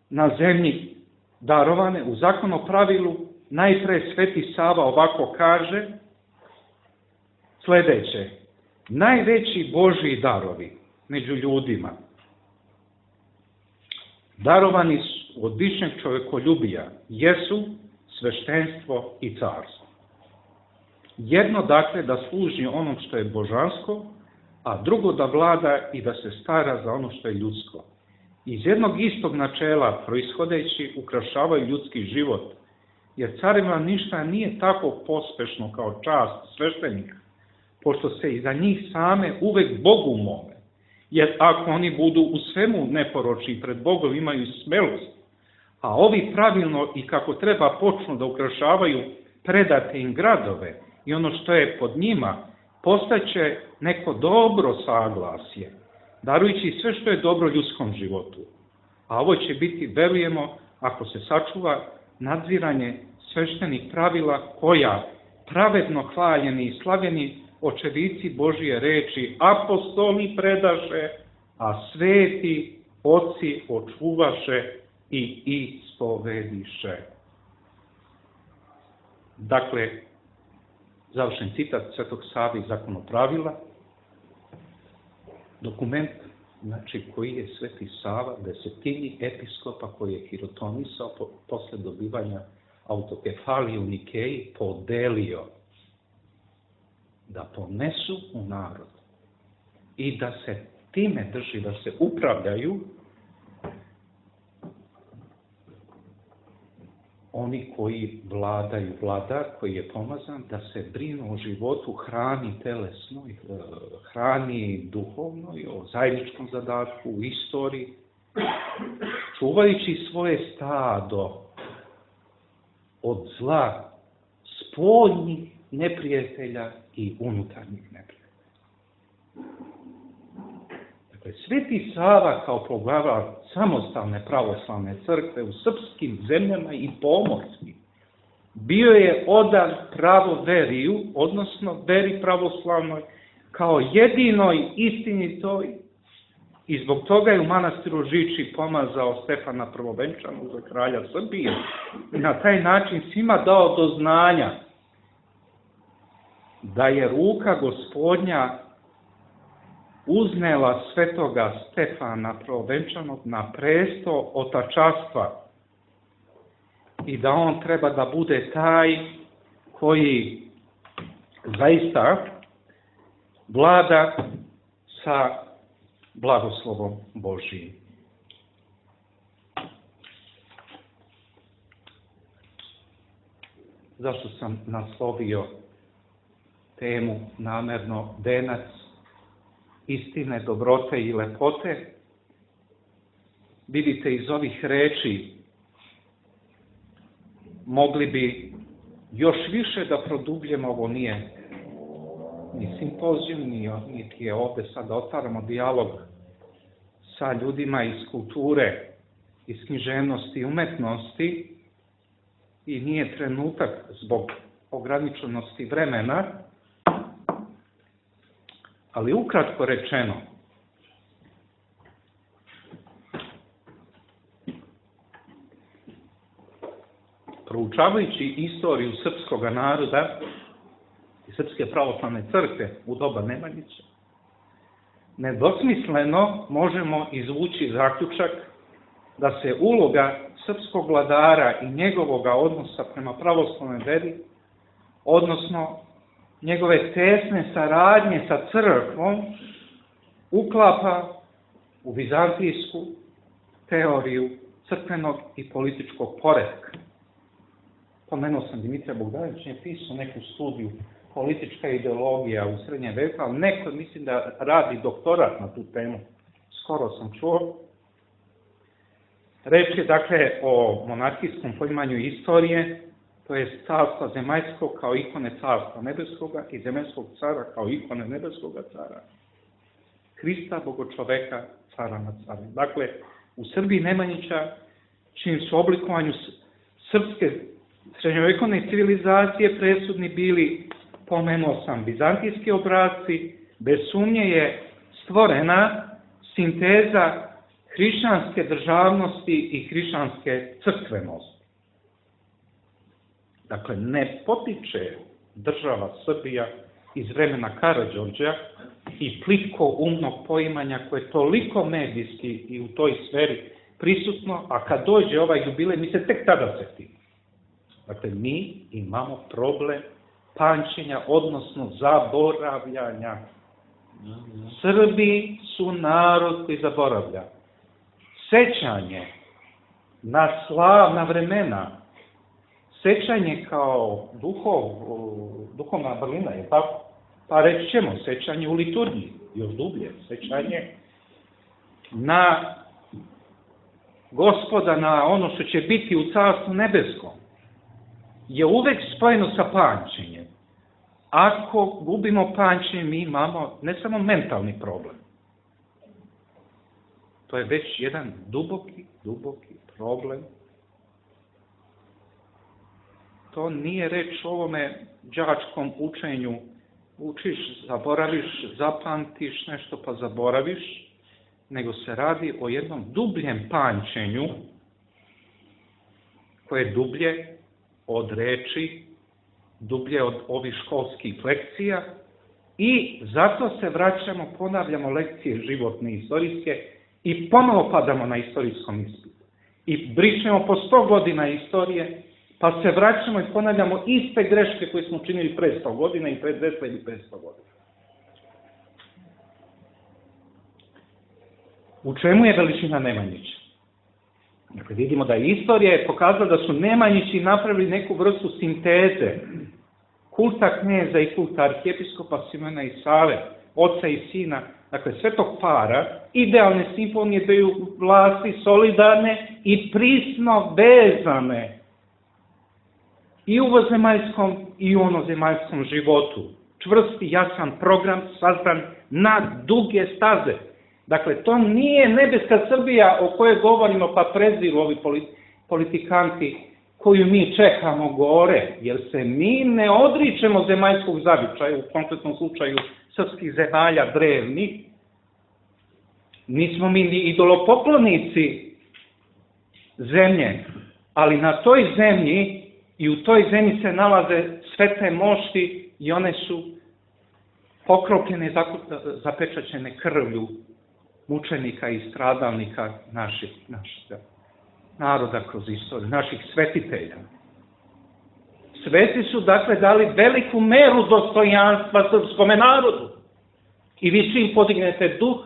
na zemlji darovane u zakonu pravilu. Najpre Sveti Sava ovako kaže sljedeće: najveći Božji darovi među ljudima darovani su od višnjeg čovjekoljubija jesu sveštenstvo i carstvo. Jedno dakle da služi onom što je božansko, a drugo da vlada i da se stara za ono što je ljudsko. Iz jednog istog načela proishodeći ukrašavaju ljudski život, jer carima ništa nije tako pospešno kao čast sveštenika, pošto se i za njih same uvek Bogu mole. Jer ako oni budu u svemu neporočni pred Bogom imaju smelost, a ovi pravilno i kako treba počnu da ukrašavaju predate im gradove i ono što je pod njima, postaće neko dobro saglasje, darujući sve što je dobro ljudskom životu. A ovo će biti, verujemo, ako se sačuva nadziranje sveštenih pravila koja pravedno hvaljeni i slavljeni očevici Božije reči apostoli predaše, a sveti oci očuvaše i ispovediše. Dakle, završen citat Svetog Save iz Zakonopravila, dokument, znači, koji je Sveti Sava desetini episkopa koji je hirotonisao po, posle dobivanja autokefalije u Nikeji podelio da ponesu u narod i da se time drži, da se upravljaju oni koji vladaju, vladar koji je pomazan, da se brinu o životu, hrani telesnoj, hrani duhovnoj, o zajedničkom zadatku, u istoriji, čuvajući svoje stado od zla spoljnih neprijatelja i unutarnjih neprijatelja. Sveti Sava kao poglavar samostalne pravoslavne crkve u srpskim zemljama i pomorskim bio je odan pravoveriju, odnosno veri pravoslavnoj, kao jedinoj istinitoj, i zbog toga je u manastiru Žiči pomazao Stefana Prvovenčanog za kralja Srbije i na taj način svima dao do znanja da je ruka Gospodnja uznela svetoga Stefana Prvovenčanog na presto otačastva i da on treba da bude taj koji zaista vlada sa blagoslovom Božijim. Zašto sam naslovio temu namerno venac istine, dobrote i lepote? Vidite, iz ovih reči mogli bi još više da produbljemo, ovo nije ni simpozijum, niti je ovde sad da otvaramo dijalog sa ljudima iz kulture, iz književnosti i umetnosti, i nije trenutak zbog ograničenosti vremena, ali ukratko rečeno, proučavajući istoriju srpskog naroda i Srpske pravoslavne crkve u doba Nemanjića, nedvosmisleno možemo izvući zaključak da se uloga srpskog vladara i njegovog odnosa prema pravoslavnoj veri, odnosno njegove tesne saradnje sa crkvom, uklapa u vizantijsku teoriju crkvenog i političkog poretka. Pomenuo sam Dimitrija Bogdanović, je pisao neku studiju politička ideologija u srednjem veku, ali neko mislim da radi doktorat na tu temu. Skoro sam čuo. Reč je dakle o monarhijskom poimanju istorije, to je carstva zemaljskog kao ikone carstva nebeskoga i zemaljskog cara kao ikone nebeskoga cara. Hrista, bogočoveka, cara nad carima. Dakle, u Srbiji Nemanjića, čim su oblikovanju srpske srednjovekovne civilizacije presudni bili, pomenuo sam, vizantijski obrasci, bez sumnje je stvorena sinteza hrišćanske državnosti i hrišćanske crkvenosti. Dakle, ne potiče država Srbija iz vremena Karađorđa i plitko umnog poimanja koje je toliko medijski i u toj sferi prisutno, a kad dođe ovaj jubilej, mi se tek tada setimo. Dakle, mi imamo problem pamćenja, odnosno zaboravljanja. Srbi su narod koji zaboravlja. Sećanje na slavna vremena, sećanje kao duhov, duhovna vrlina, je tako? Pa reći ćemo, sećanje u liturgiji, još dublje, sećanje na Gospoda, na ono što će biti u Carstvu nebeskom, je uvek spojeno sa pamćenjem. Ako gubimo pamćenje, mi imamo ne samo mentalni problem. To je već jedan duboki, duboki problem. To nije reč o ovome đačkom učenju. Učiš, zaboraviš, zapamtiš nešto pa zaboraviš, nego se radi o jednom dubljem pamćenju koje je dublje od reči, dublje od ovih školskih lekcija, i zato se vraćamo, ponavljamo lekcije životne i istorijske i ponovo padamo na istorijskom ispitu. I brišemo po sto godina istorije, pa se vraćamo i ponavljamo iste greške koje smo činili pre sto godina i pre dvesta ili petsto godina. U čemu je veličina Nemanjića? Dakle, vidimo da je istorija pokazala da su Nemanjići napravili neku vrstu sinteze kulta kneza i kulta arhijepiskopa Simona i Save, oca i sina, dakle svetog para, idealne simfonije dveju vlasti, solidarne i prisno vezane i u ovozemaljskom i u onozemaljskom životu. Čvrsti, jasan program sazdan na duge staze. Dakle, to nije nebeska Srbija o kojoj govorimo pa preziru ovi politikanti koju mi čekamo gore, jer se mi ne odričemo zemaljskog zavičaja, u konkretnom slučaju srpskih zemalja drevnih. Nismo mi ni idolopoklonici zemlje, ali na toj zemlji i u toj zemlji se nalaze svete mošti i one su pokropljene, zapečaćene krvlju mučenika i stradalnika naših, našeg naroda kroz istoriju, naših svetitelja. Sveti su dakle dali veliku meru dostojanstva srpskome narodu. I vi čim podignete duh,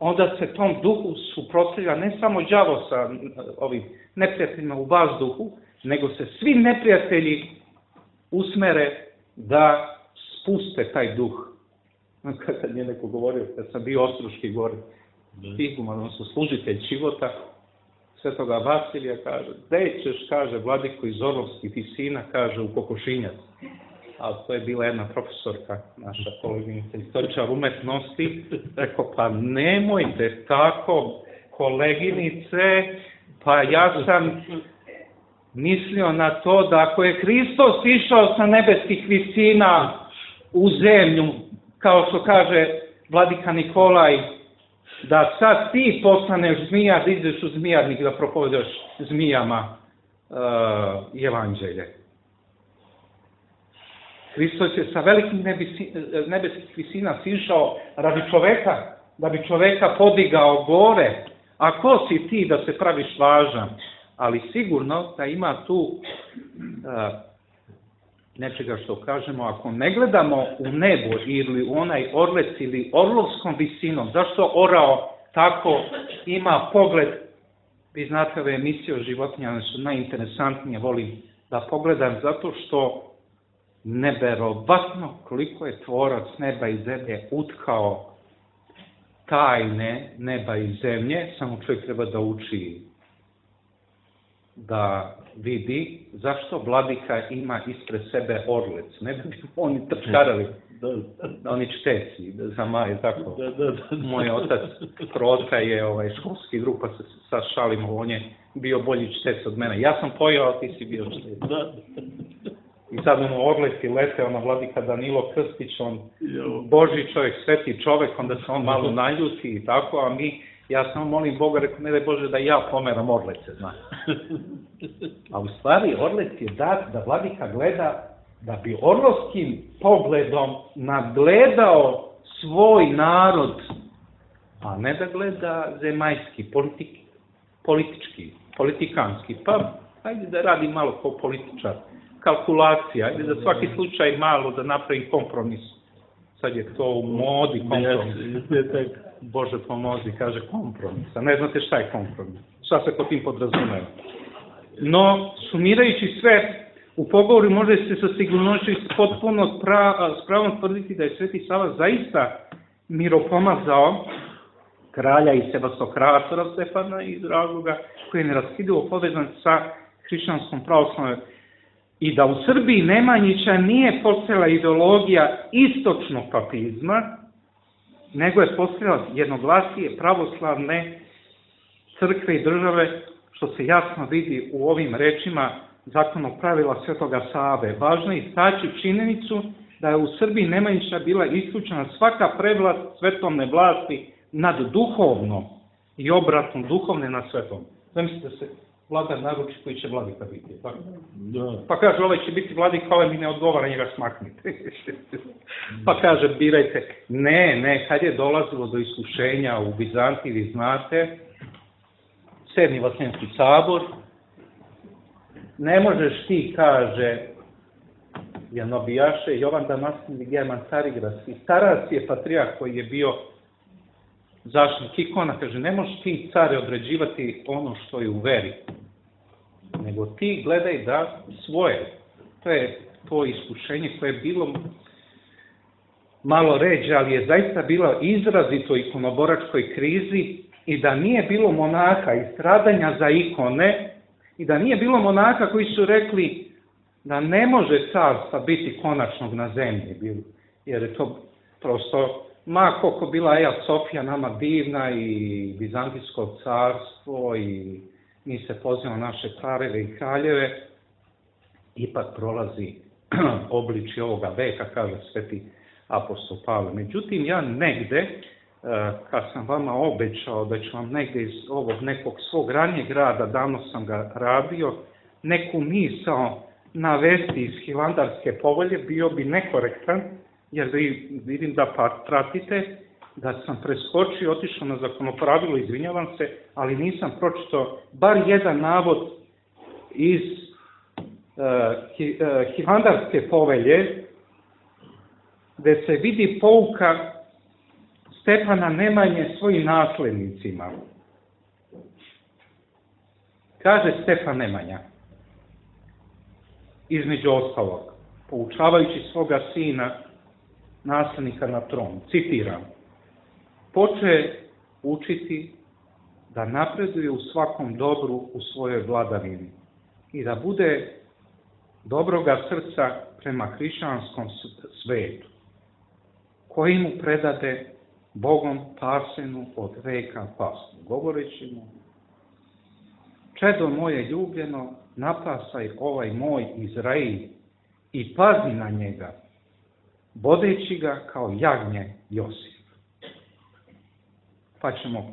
onda se tom duhu suprotstavlja ne samo đavo sa ovim neprijateljima u vazduhu, nego se svi neprijatelji usmere da spuste taj duh. Kad je neko govorio, kad sam bio Ostroški gore, iguman, odnosno služitelj života, Svetoga Vasilija, kaže, gde ćeš, kaže, vladiko iz Orlovskih visina, kaže, u Kokošinjac. A to je bila jedna profesorka, naša koleginica, istoričar umetnosti, rekao, pa nemojte tako, koleginice, pa ja sam mislio na to da ako je Hristos išao sa nebeskih visina u zemlju, kao što kaže vladika Nikolaj, da sad ti postaneš zmija, da ideš u zmijarnik da propovedaš zmijama uh, evanđelje. Hristos je sa velikim nebeskih visina sišao radi čoveka, da bi čoveka podigao gore. A ko si ti da se praviš važan? Ali sigurno da ima tu uh, nečega što kažemo, ako ne gledamo u nebo ili u onaj orlec ili orlovskom visinom, zašto orao tako ima pogled, vi znate ove emisije o životinjama, one su najinteresantnije, volim da pogledam, zato što neverovatno koliko je tvorac neba i zemlje utkao tajne neba i zemlje, samo čovjek treba da uči, da vidi zašto vladika ima ispred sebe orlec. Ne bi oni trčkarali, oni čteci, za maje, tako. Moj otac Protka je ovaj, školski drug, pa se sad šalimo, on je bio bolji čtec od mene. Ja sam pojao, a ti si bio čtec. I sad ono orlec i lete, ona vladika Danilo Krstić, on Božji čovjek, sveti čovjek, onda se on malo naljuti i tako, a mi, ja samo molim Boga, rekao, ne daj Bože da ja pomeram orlece, znaš. A u stvari orlec je dat da vladika gleda, da bi orlovskim pogledom nadgledao svoj narod, a ne da gleda zemaljski, politik, politički, politikanski. Pa, ajde da radi malo kao političar, kalkulacija, ajde da svaki slučaj malo da napravi kompromis. Sad je to u modi kompromis. Bože pomozi, kaže kompromis. A ne znate šta je kompromis. Šta se ko tim podrazumeva. No, sumirajući sve, u pogovoru može se sa sigurnošću potpuno s pravom tvrditi da je Sveti Sava zaista miropomazao kralja i sebastokratora Stefana iz razloga koji je neraskidivo povezan sa hrišćanskom pravoslavnom, i da u Srbiji Nemanjića nije postojala ideologija istočnog papizma, nego je postojala jednoglasije pravoslavne crkve i države, što se jasno vidi u ovim rečima zakonog pravila Svetoga Save. Važno je istaći činjenicu da je u Srbiji Nemanjića bila isključena svaka prevlast svetovne vlasti nad duhovnom i obratno duhovne nad svetom. Zamislite se, vladar naruči koji će vladika biti. Tako? Da. Pa kaže, ovaj će biti vladika, ovaj mi ne odgovara, njega smaknite. Pa kaže, birajte. Ne, ne, kad je dolazilo do iskušenja u Bizantiji, vi znate, sedmi Vaseljenski sabor, ne možeš ti, kaže, Janobijaše, Jovan Damaskin i German Carigras, i Taras je patrijah koji je bio zaštitnik ikona, kaže, ne možeš ti, care, određivati ono što je u veri, nego ti gledaj da svoje. To je to iskušenje koje je bilo malo ređe, ali je zaista bilo izrazito ikonoboračkoj krizi, i da nije bilo monaha i stradanja za ikone, i da nije bilo monaha koji su rekli da ne može carstva biti konačnog na zemlji, jer je to prosto ma koliko bila Eja Sofija nama divna i Bizantijsko carstvo i mi se pozivamo naše careve i kraljeve, ipak prolazi obličje ovoga veka, kaže sveti apostol Pavle. Međutim, ja negde, kad sam vama obećao da ću vam negde iz ovog nekog svog ranijeg rada, davno sam ga radio, neku misao navesti iz Hilandarske povelje, bio bi nekorektan, jer vi vidim da pa pratite, da sam preskočio, otišao na zakonopravilo, izvinjavam se, ali nisam pročitao bar jedan navod iz uh, Hilandarske povelje, gde se vidi pouka Stefana Nemanje svojim naslednicima. Kaže Stefan Nemanja, između ostalog, poučavajući svoga sina, naslednika na tron, citiram, poče učiti da napreduje u svakom dobru u svojoj vladavini i da bude dobroga srca prema hrišćanskom svetu, koji mu predade Bogom pasenu od veka pasnu, govoreći mu, čedo moje ljubljeno, napasaj ovaj moj Izrail i pazi na njega, bodeći ga kao jagnje Josif. Pa ćemo,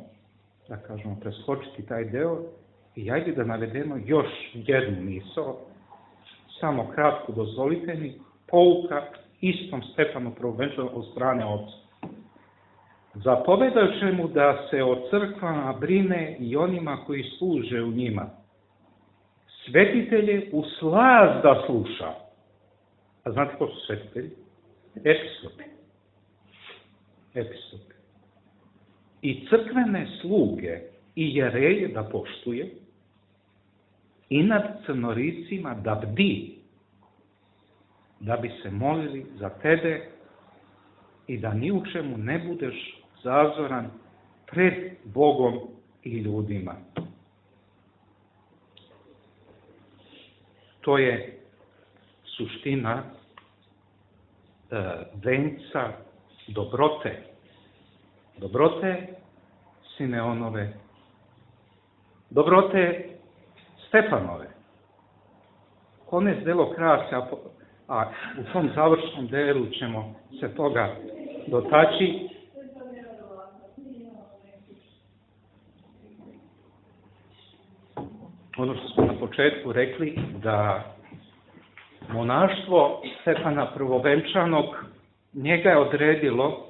da kažemo, preskočiti taj deo i ajde da navedemo još jednu misao, samo kratko dozvolite mi, pouka istom Stefanu Prvovenčanom od strane oca. Zapovedajući mu da se o crkvama brine i onima koji služe u njima, svetitelje u slaz da sluša. A znate ko su svetitelji? Episkopi. Episkopi. I crkvene sluge i jereje da poštuje, i nad crnoricima da bdi, da bi se molili za tebe i da ni u čemu ne budeš zazoran pred Bogom i ljudima. To je suština e, venca dobrote. Dobrote Simeonove. Dobrote Stefanove. Konec delo krase, a, a u tom završnom delu ćemo se toga dotaći. Ono što smo na početku rekli, da monaštvo Stefana Prvovenčanog njega je odredilo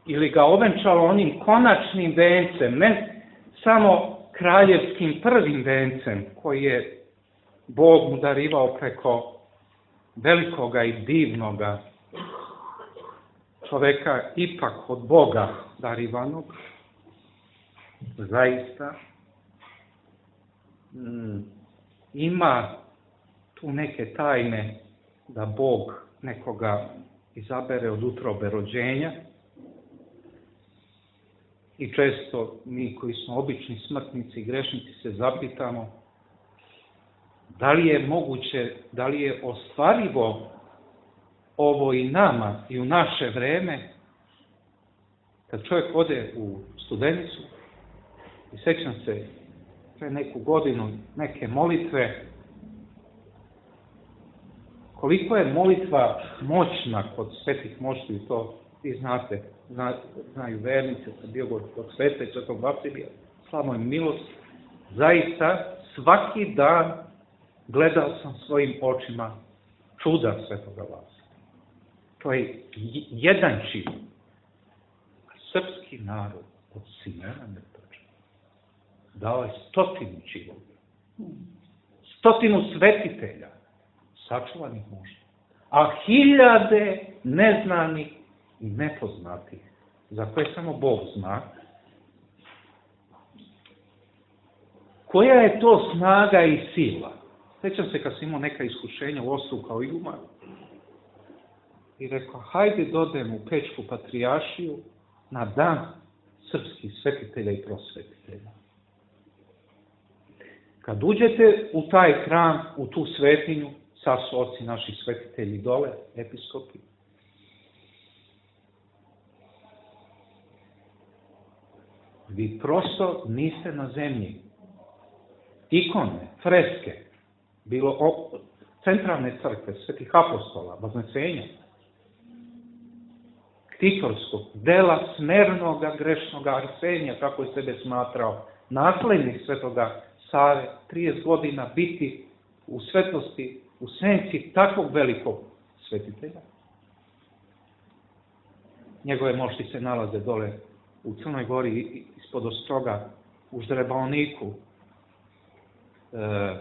ili ga ovenčalo onim konačnim vencem, ne samo kraljevskim prvim vencem koji je Bog mu darivao preko velikoga i divnoga čoveka, ipak od Boga darivanog, zaista ima tu neke tajne da Bog nekoga izabere od utrobe rođenja i često mi koji smo obični smrtnici i grešnici se zapitamo da li je moguće, da li je ostvarivo ovo i nama i u naše vreme, kad čovjek ode u Studenicu i sećam se pre neku godinu neke molitve, koliko je molitva moćna kod svetih mošti, to vi znate, zna, znaju vernice, sam bio kod sveta i svetog Vasilija, slava im milost, zaista svaki dan gledao sam svojim očima čuda svetoga Vasilija. To je jedan čin. Srpski narod od Simeona Mrtvača dao je stotinu činova. Stotinu svetitelja, sačuvanih muža, a hiljade neznanih i nepoznatih, za koje samo Bog zna. Koja je to snaga i sila? Sjećam se kad sam imao neka iskušenja u Ostru kao Ilma i rekao, hajde dodem u Pečku patrijaršiju na dan srpskih svetitelja i prosvetitelja. Kad uđete u taj hram, u tu svetinju, sad su oci naši svetitelji dole, episkopi, vi prosto niste na zemlji. Ikone, freske, bilo o, centralne crkve, svetih apostola, Vaznesenja, Ktitorskog, dela smernoga grešnoga Arsenija, kako je sebe smatrao, naslednik svetoga Save, trideset godina biti u svetlosti, u senci takvog velikog svetitelja. Njegove mošti se nalaze dole u Crnoj Gori, ispod Ostroga, u Ždrebaoniku. E,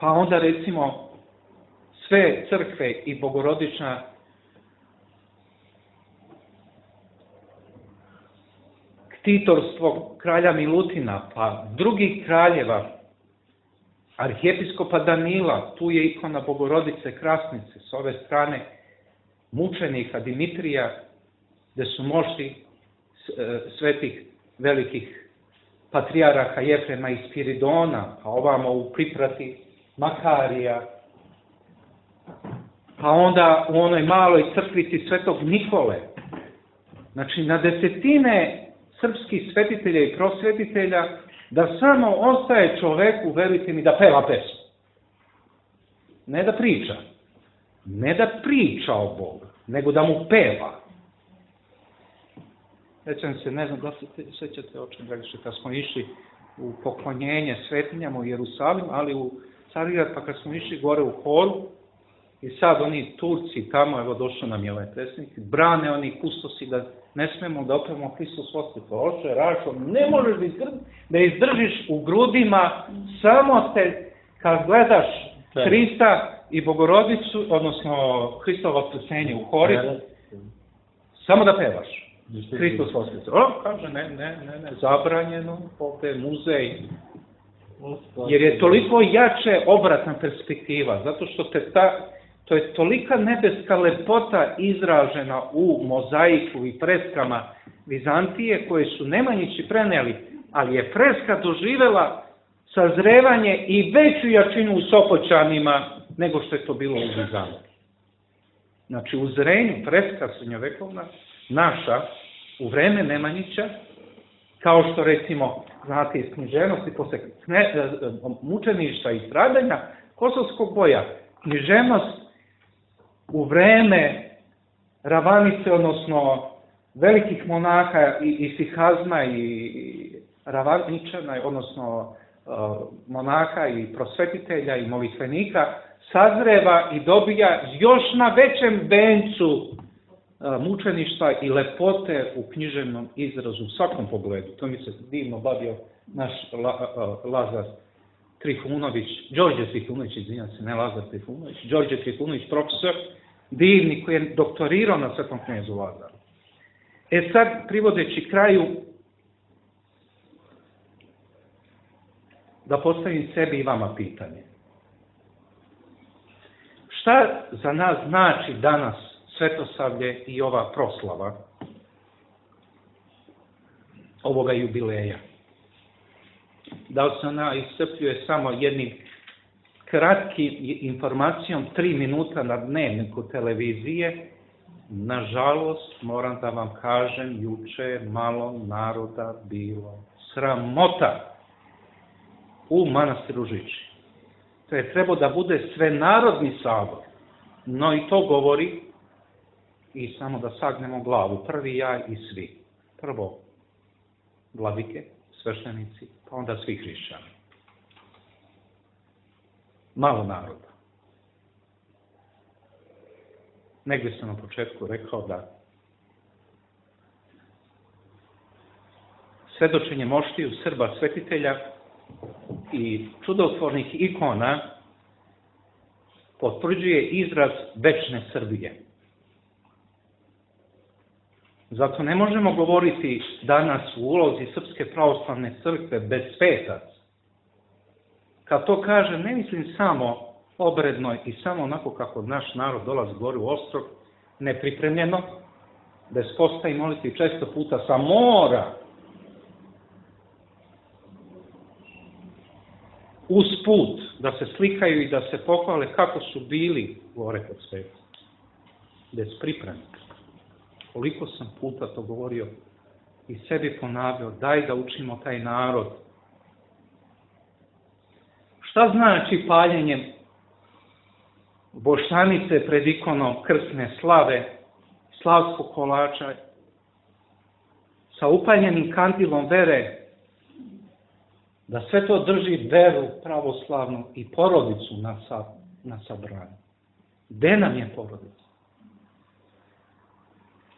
pa onda recimo sve crkve i Bogorodična Ktitorstvo kralja Milutina, pa drugih kraljeva, arhijepiskopa Danila, tu je ikona Bogorodice Krasnice, s ove strane mučenika Dimitrija, gde su mošti svetih velikih patrijaraha Jefrema i Spiridona, pa ovamo u priprati Makarija, pa onda u onoj maloj crkvici svetog Nikole. Znači, na desetine srpskih svetitelja i prosvetitelja, da samo ostaje čoveku, verujte mi, da peva pesmu. Ne da priča. Ne da priča o Bogu, nego da mu peva. Sećam se, ne znam da se sećate o čem, dragi, kad smo išli u poklonjenje svetinjama u Jerusalim, ali u Carigrad, pa kad smo išli gore u horu, i sad oni Turci tamo, evo došao nam je ovaj predsjednik, brane oni kustosi da ne smemo da opevamo Hristos Voskrsao. Oče, Rašo, ne možeš da, izdrž, da izdržiš u grudima, samo te, kad gledaš Hrista i Bogorodicu, odnosno Hristovo Vaskrsenje u hori, samo da pevaš. Hristos Voskrsao. O, kaže, ne, ne, ne, ne, zabranjeno, ovdje muzej. Jer je toliko jače obratna perspektiva, zato što te ta, to je tolika nebeska lepota izražena u mozaiku i freskama Vizantije, koje su Nemanjići preneli, ali je freska doživela sazrevanje i veću jačinu u Sopoćanima nego što je to bilo u Vizantiji. Znači, u zrenju freska srednjovekovna, naša, u vreme Nemanjića, kao što recimo, znate, iz književnosti, posle mučeništva i stradanja kosovskog boja, književnost u vreme Ravanice, odnosno velikih monaha i, i Sihazma i Ravaničana, odnosno uh, monaha i prosvetitelja i molitvenika, sazreva i dobija još na većem vencu uh, mučeništva i lepote u književnom izrazu, u svakom pogledu. To mi se divno bavio naš La, uh, Lazar Trifunović, Đorđe Trifunović, izvinjam se, ne Lazar Trifunović, Đorđe Trifunović, profesor, divni, koji je doktorirao na Svetom knezu Lazaru. E sad, privodeći kraju, da postavim sebi i vama pitanje. Šta za nas znači danas Svetosavlje i ova proslava ovoga jubileja? Da li se ona iscrpljuje samo jednim kratkim informacijom, tri minuta na dnevniku televizije? Nažalost, moram da vam kažem, juče je malo naroda bilo sramota u manastiru Žiči. To je trebao da bude svenarodni sabor, no i to govori, i samo da sagnemo glavu, prvi ja i svi. Prvo vladike, sveštenici, pa onda svi hrišćani. Malo naroda. Negdje sam na početku rekao da svedočenje moštiju Srba svetitelja i čudotvornih ikona potvrđuje izraz večne Srbije. Zato ne možemo govoriti danas u ulozi Srpske pravoslavne crkve bez svetac. Kad to kažem, ne mislim samo obredno i samo onako kako naš narod dolazi gore u Ostrog, nepripremljeno, bez posta i moliti često puta sa mora, uz put, da se slikaju i da se pohvale kako su bili gore kod sveta. Bez pripreme. Koliko sam puta to govorio i sebi ponavljao, daj da učimo taj narod. Šta znači paljenje boštanice pred ikonom krsne slave, slavskog kolača, sa upaljenim kandilom vere, da sve to drži veru pravoslavnu i porodicu na, sa, na sabranju. Gde nam je porodica?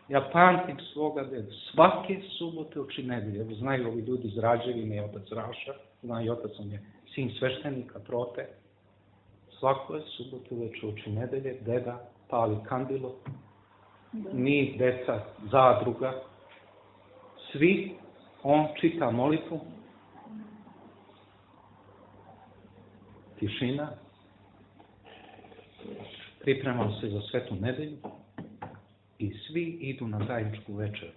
Ja pamtim svoga dedu. Svake subote oči nedelje. Evo, znaju ovi ljudi iz Rađevine, otac Raša, znaju otac, on je sin sveštenika, Prote. Svako je subote uveče oči nedelje, deda pali kandilo, mi, deca, zadruga, svi, on čita molitvu, tišina, pripremamo se za svetu nedelju i svi idu na zajedničku večer.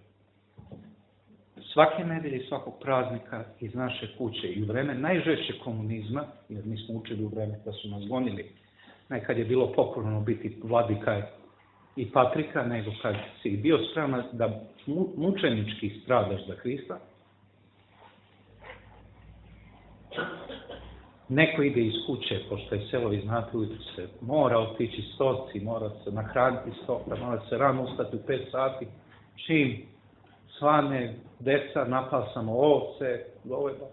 Svake nedelje i svakog praznika iz naše kuće i u vreme najžešće komunizma, jer mi smo učili u vreme da su nas gonili, nekad je bilo pokorno biti vladika i patrika, nego kad si bio spreman da mučenički stradaš za Hrista, neko ide iz kuće, pošto je selo, vi znate, ujutro se mora otići stoci, mora se nahraniti stoka, mora se rano ustati u pet sati, čim svane, deca, napasamo ovce, goveda,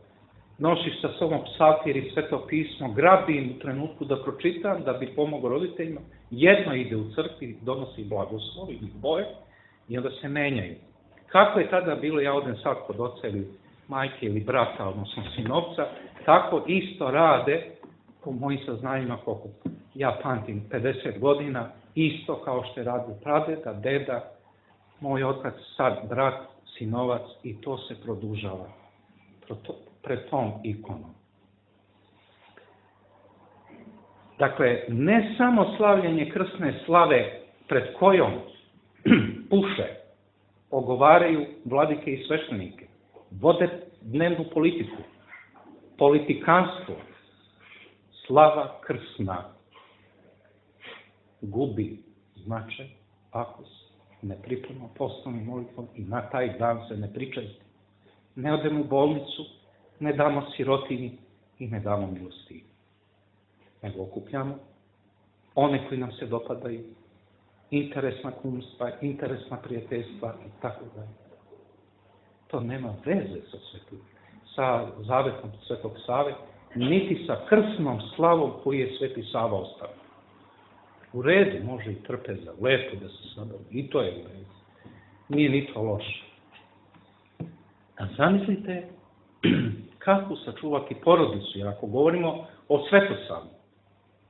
nosiš sa sobom psaltir i sveto pismo, grabim u trenutku da pročitam, da bi pomogao roditeljima, jedno ide u crkvi, donosi blagoslov ili boje i onda se menjaju. Kako je tada bilo, ja odem sad kod oca ili majke ili brata, odnosno sinovca, tako isto rade, po mojim saznanjima, koliko ja pamtim, pedeset godina, isto kao što je radio pradeda, deda, moj otac, sad brat, sinovac, i to se produžava pred tom ikonom. Dakle, ne samo slavljenje krsne slave pred kojom puše, ogovaraju vladike i sveštenike, vode dnevnu politiku, politikanstvo, slava krsna gubi značaj ako se ne priprema poslovnim molitvom i na taj dan se ne pričesti. Ne odemo u bolnicu, ne damo sirotini i ne damo milosti. Nego okupljamo one koji nam se dopadaju, interesna kumstva, interesna prijateljstva i tako dalje. To nema veze sa svetim, sa zavetom Svetog Save, niti sa krsnom slavom koju je Sveti Sava ostavio. U redu, može i trpeza, lepo da se sabavi, i to je u redu. Nije ni to loše. A zamislite kako sačuvati porodicu, jer ako govorimo o Svetosavu,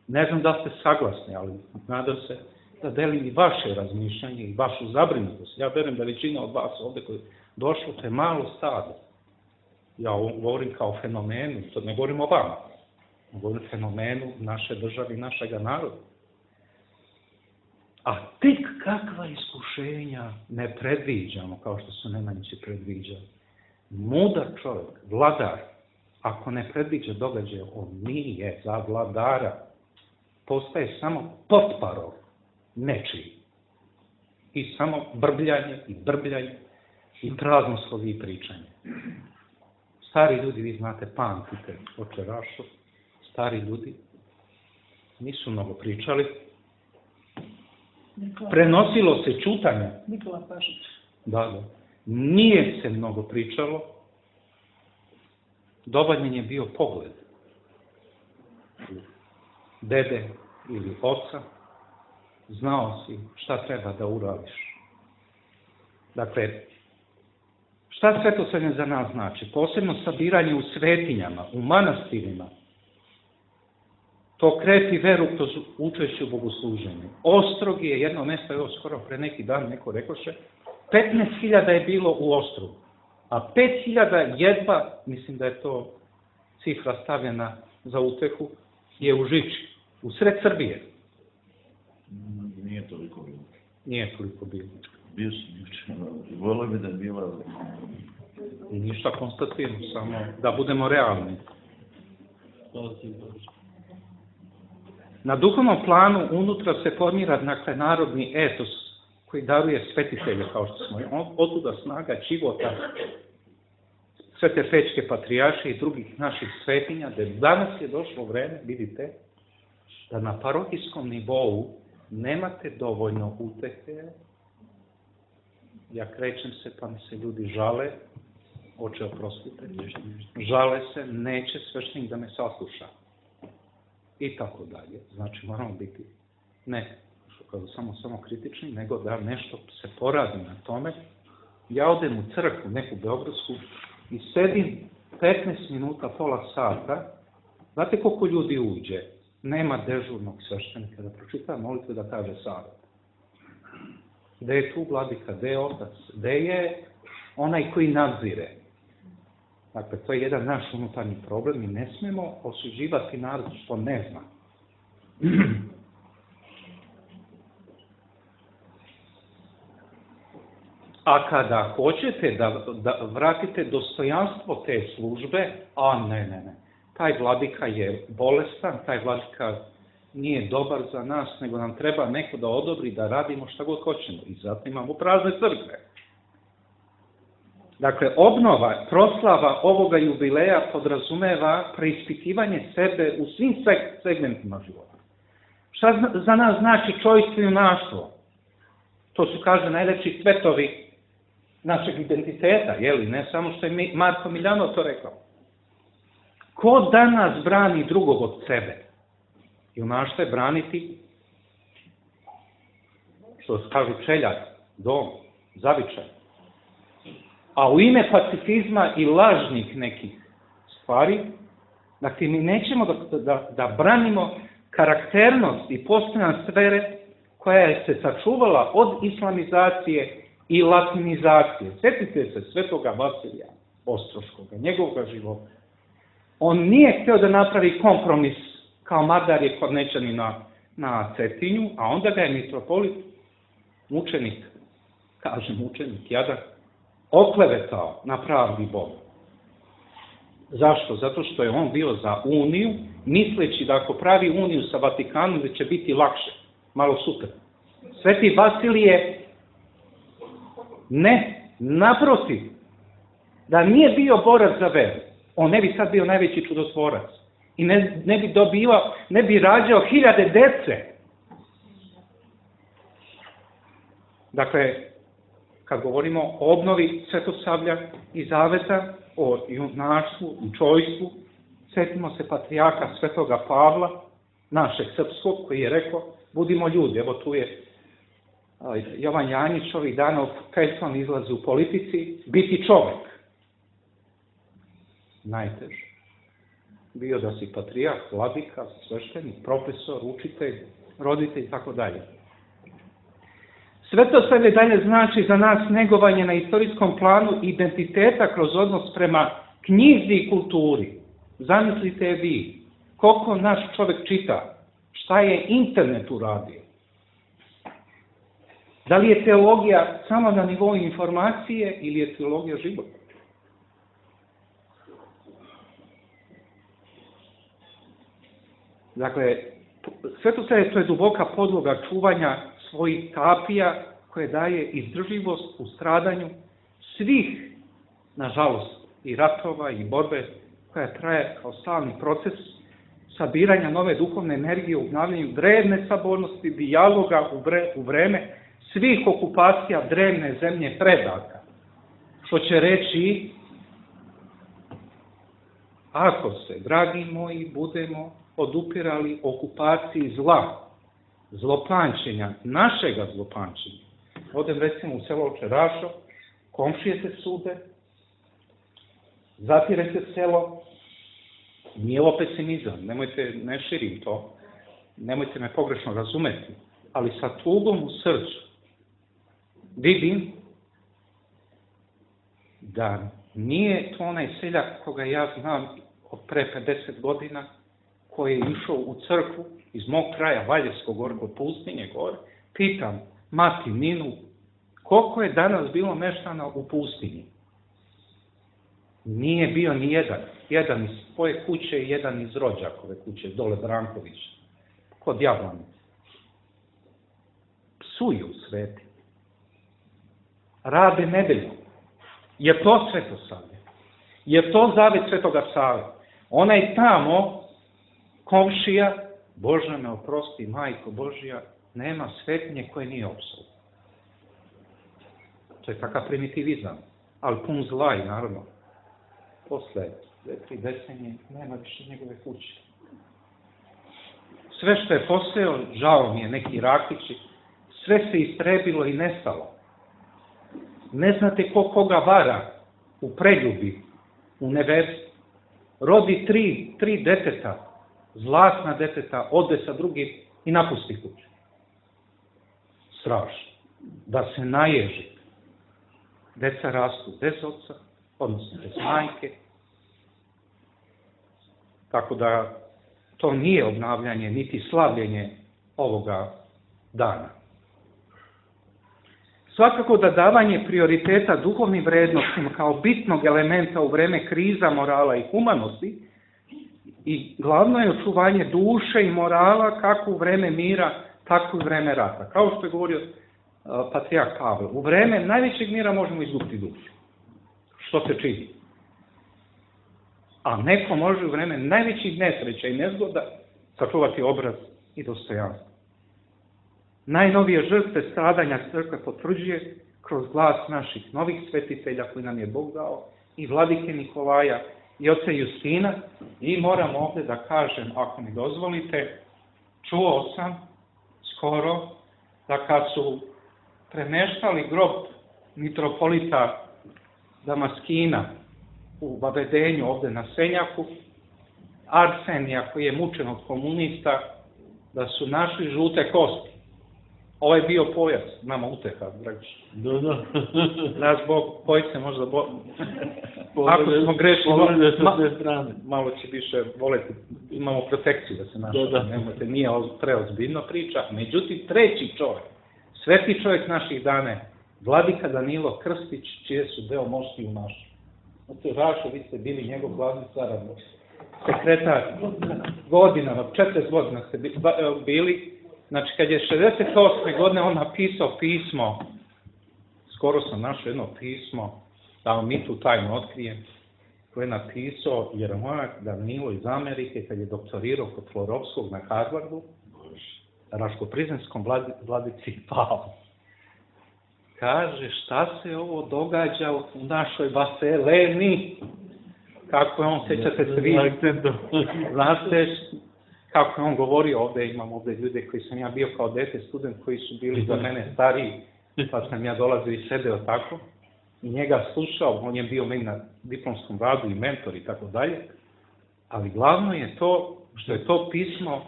ne znam da ste saglasni, ali nadam se da delim i vaše razmišljanje i vašu zabrinutost. Ja verujem da većina od vas ovde koji je došlo, to je malo stado. Ja govorim kao fenomenu, to ne govorim o vama, govorim o fenomenu naše države i našega naroda. A tek kakva iskušenja ne predviđamo, kao što su Nemanjići predviđali. Mudar čovjek, vladar, ako ne predviđa događaje, on nije za vladara. Postaje samo potparov nečiji. I samo brbljanje i brbljanje i praznoslovi i pričanje. Stari ljudi, vi znate, pamtite oče Rašo, stari ljudi nisu mnogo pričali. Prenosilo se čutanje. Nikola Pašić. Da, da. Nije se mnogo pričalo. Dovoljan je bio pogled dede ili oca. Znao si šta treba da uradiš. Dakle, šta svetosavlje za nas znači? Posebno sabiranje u svetinjama, u manastirima. To krepi veru kroz učešće u bogosluženju. Ostrog je jedno mesto, evo skoro pre neki dan neko rekoše, petnaest hiljada je bilo u Ostrogu, a pet hiljada jedva, mislim da je to cifra stavljena za utehu, je u Žiči, u sred Srbije. Nije toliko bilo. Nije toliko bilo. Bio sam juče, volio bi da je bila... Ništa konstativno, samo da budemo realni. Na duhovnom planu unutra se formira, dakle, narodni etos koji daruje svetitelje, kao što smo, otuda snaga života, sve te pečke patrijarše i drugih naših svetinja, da danas je došlo vreme, vidite, da na parohijskom nivou nemate dovoljno utehe. Ja krećem se, pa mi se ljudi žale, oče oprostite, žale se, neće sveštenik da me sasluša. I tako dalje. Znači, moramo biti, ne, samo, samo kritični, nego da nešto se poradi na tome. Ja odem u crkvu, neku beogradsku, i sedim petnaest minuta, pola sata, znate koliko ljudi uđe? Nema dežurnog sveštenika da pročita molitve, da kaže savjet. Gde je tu vladika, gde je otac, gde je onaj koji nadzire? Dakle, to je jedan naš unutarnji problem i ne smemo osuđivati narod što ne zna. A kada hoćete da, da vratite dostojanstvo te službe, a ne, ne, ne, taj vladika je bolestan, taj vladika nije dobar za nas, nego nam treba neko da odobri da radimo šta god hoćemo. I zato imamo prazne crkve. Dakle, obnova, proslava ovoga jubileja podrazumeva preispitivanje sebe u svim segmentima života. Šta za nas znači čojstvo i junaštvo? To su, kaže, najlepši cvetovi našeg identiteta, jeli? Ne samo što je Marko Miljanov to rekao. Ko danas brani drugog od sebe? Junaštvo je braniti, što kažu čeljad, dom, zavičaj. A u ime pacifizma i lažnih nekih stvari, dakle, mi nećemo da, da, da branimo karakternost i postojan sfere koja je se sačuvala od islamizacije i latinizacije. Sjetite se svetoga Vasilija Ostroškoga, njegovog života. On nije htio da napravi kompromis kao Mardarije Kornečani na, na Cetinju, a onda ga je mitropolit, mučenik, kažem mučenik, jadan, oklevetao na pravdi Boga. Zašto? Zato što je on bio za uniju, misleći da ako pravi uniju sa Vatikanom, da će biti lakše, malo super. Sveti Vasilije, ne, naprotiv, da nije bio borac za veru, on ne bi sad bio najveći čudotvorac i ne, ne bi dobivao, ne bi rađao hiljade dece. Dakle, kad govorimo o obnovi Svetosavlja i Zaveta, o junaštvu i čojstvu, sjetimo se patrijarha Svetoga Pavla, našeg srpskog, koji je rekao, budimo ljudi. Evo tu je Jovan Janjić ovih dana u Peljson izlazi u politici, biti čovek. Najteže. Bio da si patrijarh, vladika, sveštenik, profesor, učitelj, roditelj i tako dalje. Sve to sve dalje znači za nas negovanje na istorijskom planu identiteta kroz odnos prema knjizi i kulturi. Zamislite vi, koliko naš čovjek čita, šta je internet uradio. Da li je teologija samo na nivou informacije ili je teologija života? Dakle, sve to sve to je duboka podloga čuvanja svojih tapija koje daje izdržljivost u stradanju svih, nažalost, i ratova i borbe koja traje kao stalni proces sabiranja nove duhovne energije u obnavljanju drevne sabornosti, dijaloga u, bre, u vreme svih okupacija drevne zemlje predaka. Što će reći, ako se, dragi moji, budemo odupirali okupaciji zla, zlopamćenja, našega zlopamćenja. Odem recimo u selo Čerašo, komšije se sude, zatire se selo, nije ovo pesimizam, nemojte, ne širim to, nemojte me pogrešno razumeti, ali sa tugom u srcu vidim da nije to onaj seljak koga ja znam od pre pedeset godina, koji je išao u crkvu iz mog kraja, Valjevskog gore, kod pustinje gore, pitam mati Ninu, koliko je danas bilo meštana u pustinji? Nije bio ni jedan. Jedan iz svoje kuće i jedan iz rođakove kuće, dole Branković, kod Jablanice. Psuju sveti. rade nedeljom. Je to svetosavlje? Je to zavet Svetoga Save? Onaj tamo, komšija, Bože me oprosti, majko Božja, nema svetinje koje nije opsao. To je takav primitivizam, ali pun zla i naravno. Posle dve, tri decenije nema više njegove kuće. Sve što je poseo, žao mi je, neki rakići, sve se istrebilo i nestalo. Ne znate ko koga vara u Preljubi, u nevesti. Rodi tri, tri deteta, zlatna deteta, ode sa drugim i napusti kuću. Strašno. Da se naježi. Deca rastu bez oca, odnosno bez majke. Tako da to nije obnavljanje, niti slavljenje ovoga dana. Svakako da davanje prioriteta duhovnim vrednostima kao bitnog elementa u vreme kriza morala i humanosti i glavno je očuvanje duše i morala kako u vreme mira, tako i u vreme rata. Kao što je govorio uh, patrijarh Pavle, u vreme najvećeg mira možemo izgubiti dušu. Što se čini? A neko može u vreme najvećih nesreća i nezgoda sačuvati obraz i dostojanstvo. Najnovije žrtve stradanja crkve potvrđuje kroz glas naših novih svetitelja koji nam je Bog dao i vladike Nikolaja i oca Justina. I moram ovdje da kažem, ako mi dozvolite, čuo sam skoro da kad su premeštali grob mitropolita Damaskina u Vavedenju ovdje na Senjaku, Arsenija koji je mučen od komunista, da su našli žute kosti. Ovo je bio pojas, nama uteha, dragi. Da, da. Naš Bog, pojce možda Bog. Ako smo grešili, ma, malo će više voleti, imamo protekciju da se našao, da, da. Nemojte, nije preozbiljno priča. Međutim, treći čovjek, sveti čovjek naših dana, vladika Danilo Krstić, čije su deo mošti u našu. Znate, Rašo, vi ste bili njegov glavni saradnik, sekretar, godinama, četrdeset godina ste bili. Znači, kad je šezdeset osme godine on napisao pismo, skoro sam našao jedno pismo, da vam mi tu tajno otkrijem, koje je napisao Jeremojak Danilo iz Amerike, kad je doktorirao kod Florovskog na Harvardu, Raško-Prizrenskom vladici Pavlu. Kaže, šta se ovo događa u našoj Vaseleni? Kako je on, sećate se vi? Znate, kako je on govorio ovdje, imam ovdje ljude koji sam ja bio kao dete student, koji su bili za mene stariji, pa sam ja dolazio i sedeo tako, i njega slušao, on je bio meni na diplomskom radu i mentor i tako dalje, ali glavno je to što je to pismo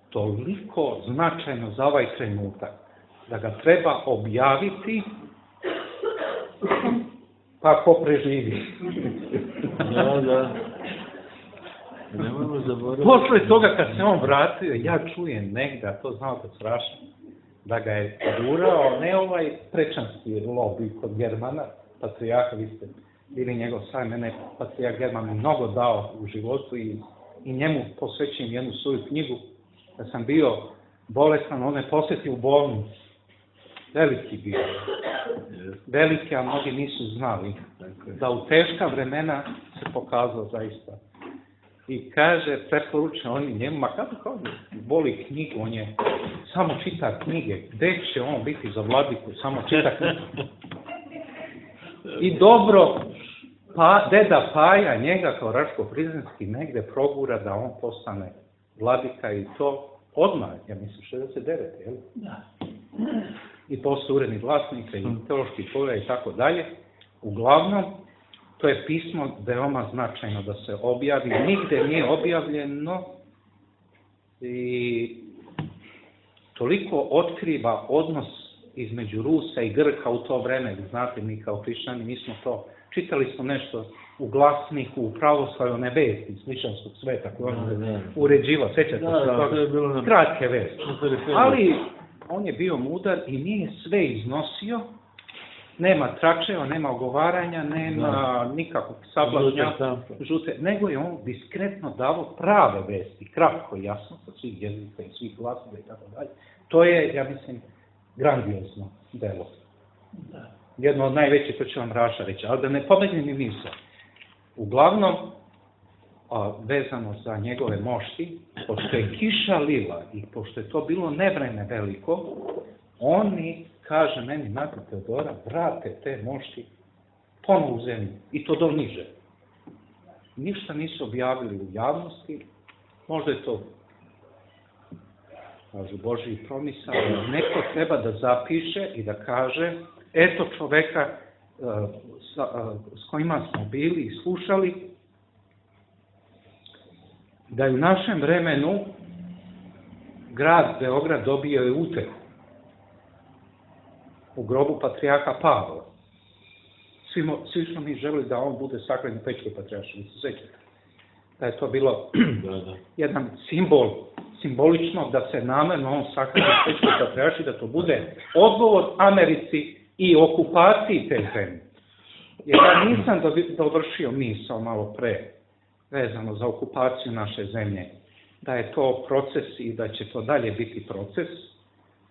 toliko značajno za ovaj trenutak, da ga treba objaviti, pa ko preživi. Da, da. Posle toga kad se on vratio, ja čujem negdje, to znao kad strašno, da ga je gurao, ne ovaj prečanski lobby kod Germana, patrijarha, vi ste bili njegov saj, mene patrijarh German mnogo dao u životu i, i njemu posvećujem jednu svoju knjigu. Da sam bio bolestan, on me posjetio u bolnicu. Veliki bio. Veliki, a mnogi nisu znali. Da u teška vremena se pokazao zaista. I kaže, preporuče oni njemu, ma kako kao voli knjigu, on je, samo čita knjige, gde će on biti za vladiku, samo čita knjige. I dobro, pa, deda Paja njega kao Raško-Prizrenski negde progura da on postane vladika i to odmah, ja mislim, šezdeset devete, jel? Da. I posle urednih vlasnika i teoloških polja i tako dalje. Uglavnom, to je pismo veoma značajno da se objavi, nigde nije objavljeno i toliko otkriva odnos između Rusa i Grka u to vreme. Znate, mi kao hrišćani, mi smo to, čitali smo nešto u Glasniku, u Pravoslavlju, one vesti iz hrišćanskog sveta koje on uređivao, sećate se toga? Kratke vesti. Ali on je bio mudar i nije sve iznosio. Nema tračeva, nema ogovaranja, nema da. nikakvog sablažnja, žute, nego je on diskretno davo prave vesti, kratko i jasno, sa svih jezika i svih glasova i tako dalje. To je, ja mislim, grandiozno delo. Da. jedno od najvećih, to će vam Raša reći, ali da ne pobegne mi misao. Uglavnom, a, vezano za njegove mošti, pošto je kiša lila i pošto je to bilo nevreme veliko, oni, kaže meni, nakon Teodora, vrate te mošti ponovo u zemlju, i to do niže. Ništa nisu objavili u javnosti, možda je to, kažu, Božji promisao, neko treba da zapiše i da kaže, eto čoveka uh, sa, uh, s kojima smo bili i slušali, da je u našem vremenu grad Beograd dobio je utehu u grobu patrijarha Pavla. Svi, mo, svi smo mi želeli da on bude sakran u Pećkoj patrijaršiji, vi se sećate. Da je to bilo da, da. jedan simbol, simbolično da se namerno on sakran u Pećkoj patrijaršiji, da to bude odgovor Americi i okupaciji te zemlje. Jer ja nisam dovršio misao malo pre, vezano za okupaciju naše zemlje, da je to proces i da će to dalje biti proces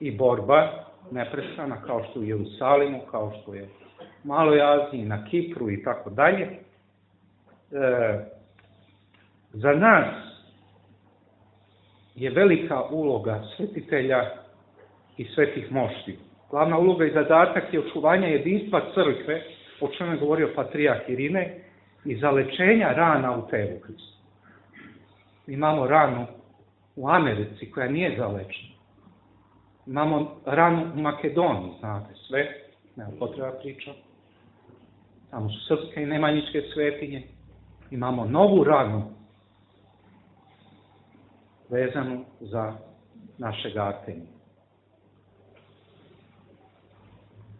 i borba neprestana, kao što je u Jerusalimu, kao što je u Maloj Aziji, na Kipru i tako dalje. E, za nas je velika uloga svetitelja i svetih mošti. Glavna uloga i zadatak je očuvanja jedinstva crkve, o čemu je govorio patrijarh Irine, i zalečenja rana u telu Hristu. Imamo ranu u Americi koja nije zalečena. Imamo ranu u Makedoniji, znate sve, nema potreba priča. Tamo su srpske i nemanjičke svetinje. Imamo novu ranu vezanu za našeg Artemija.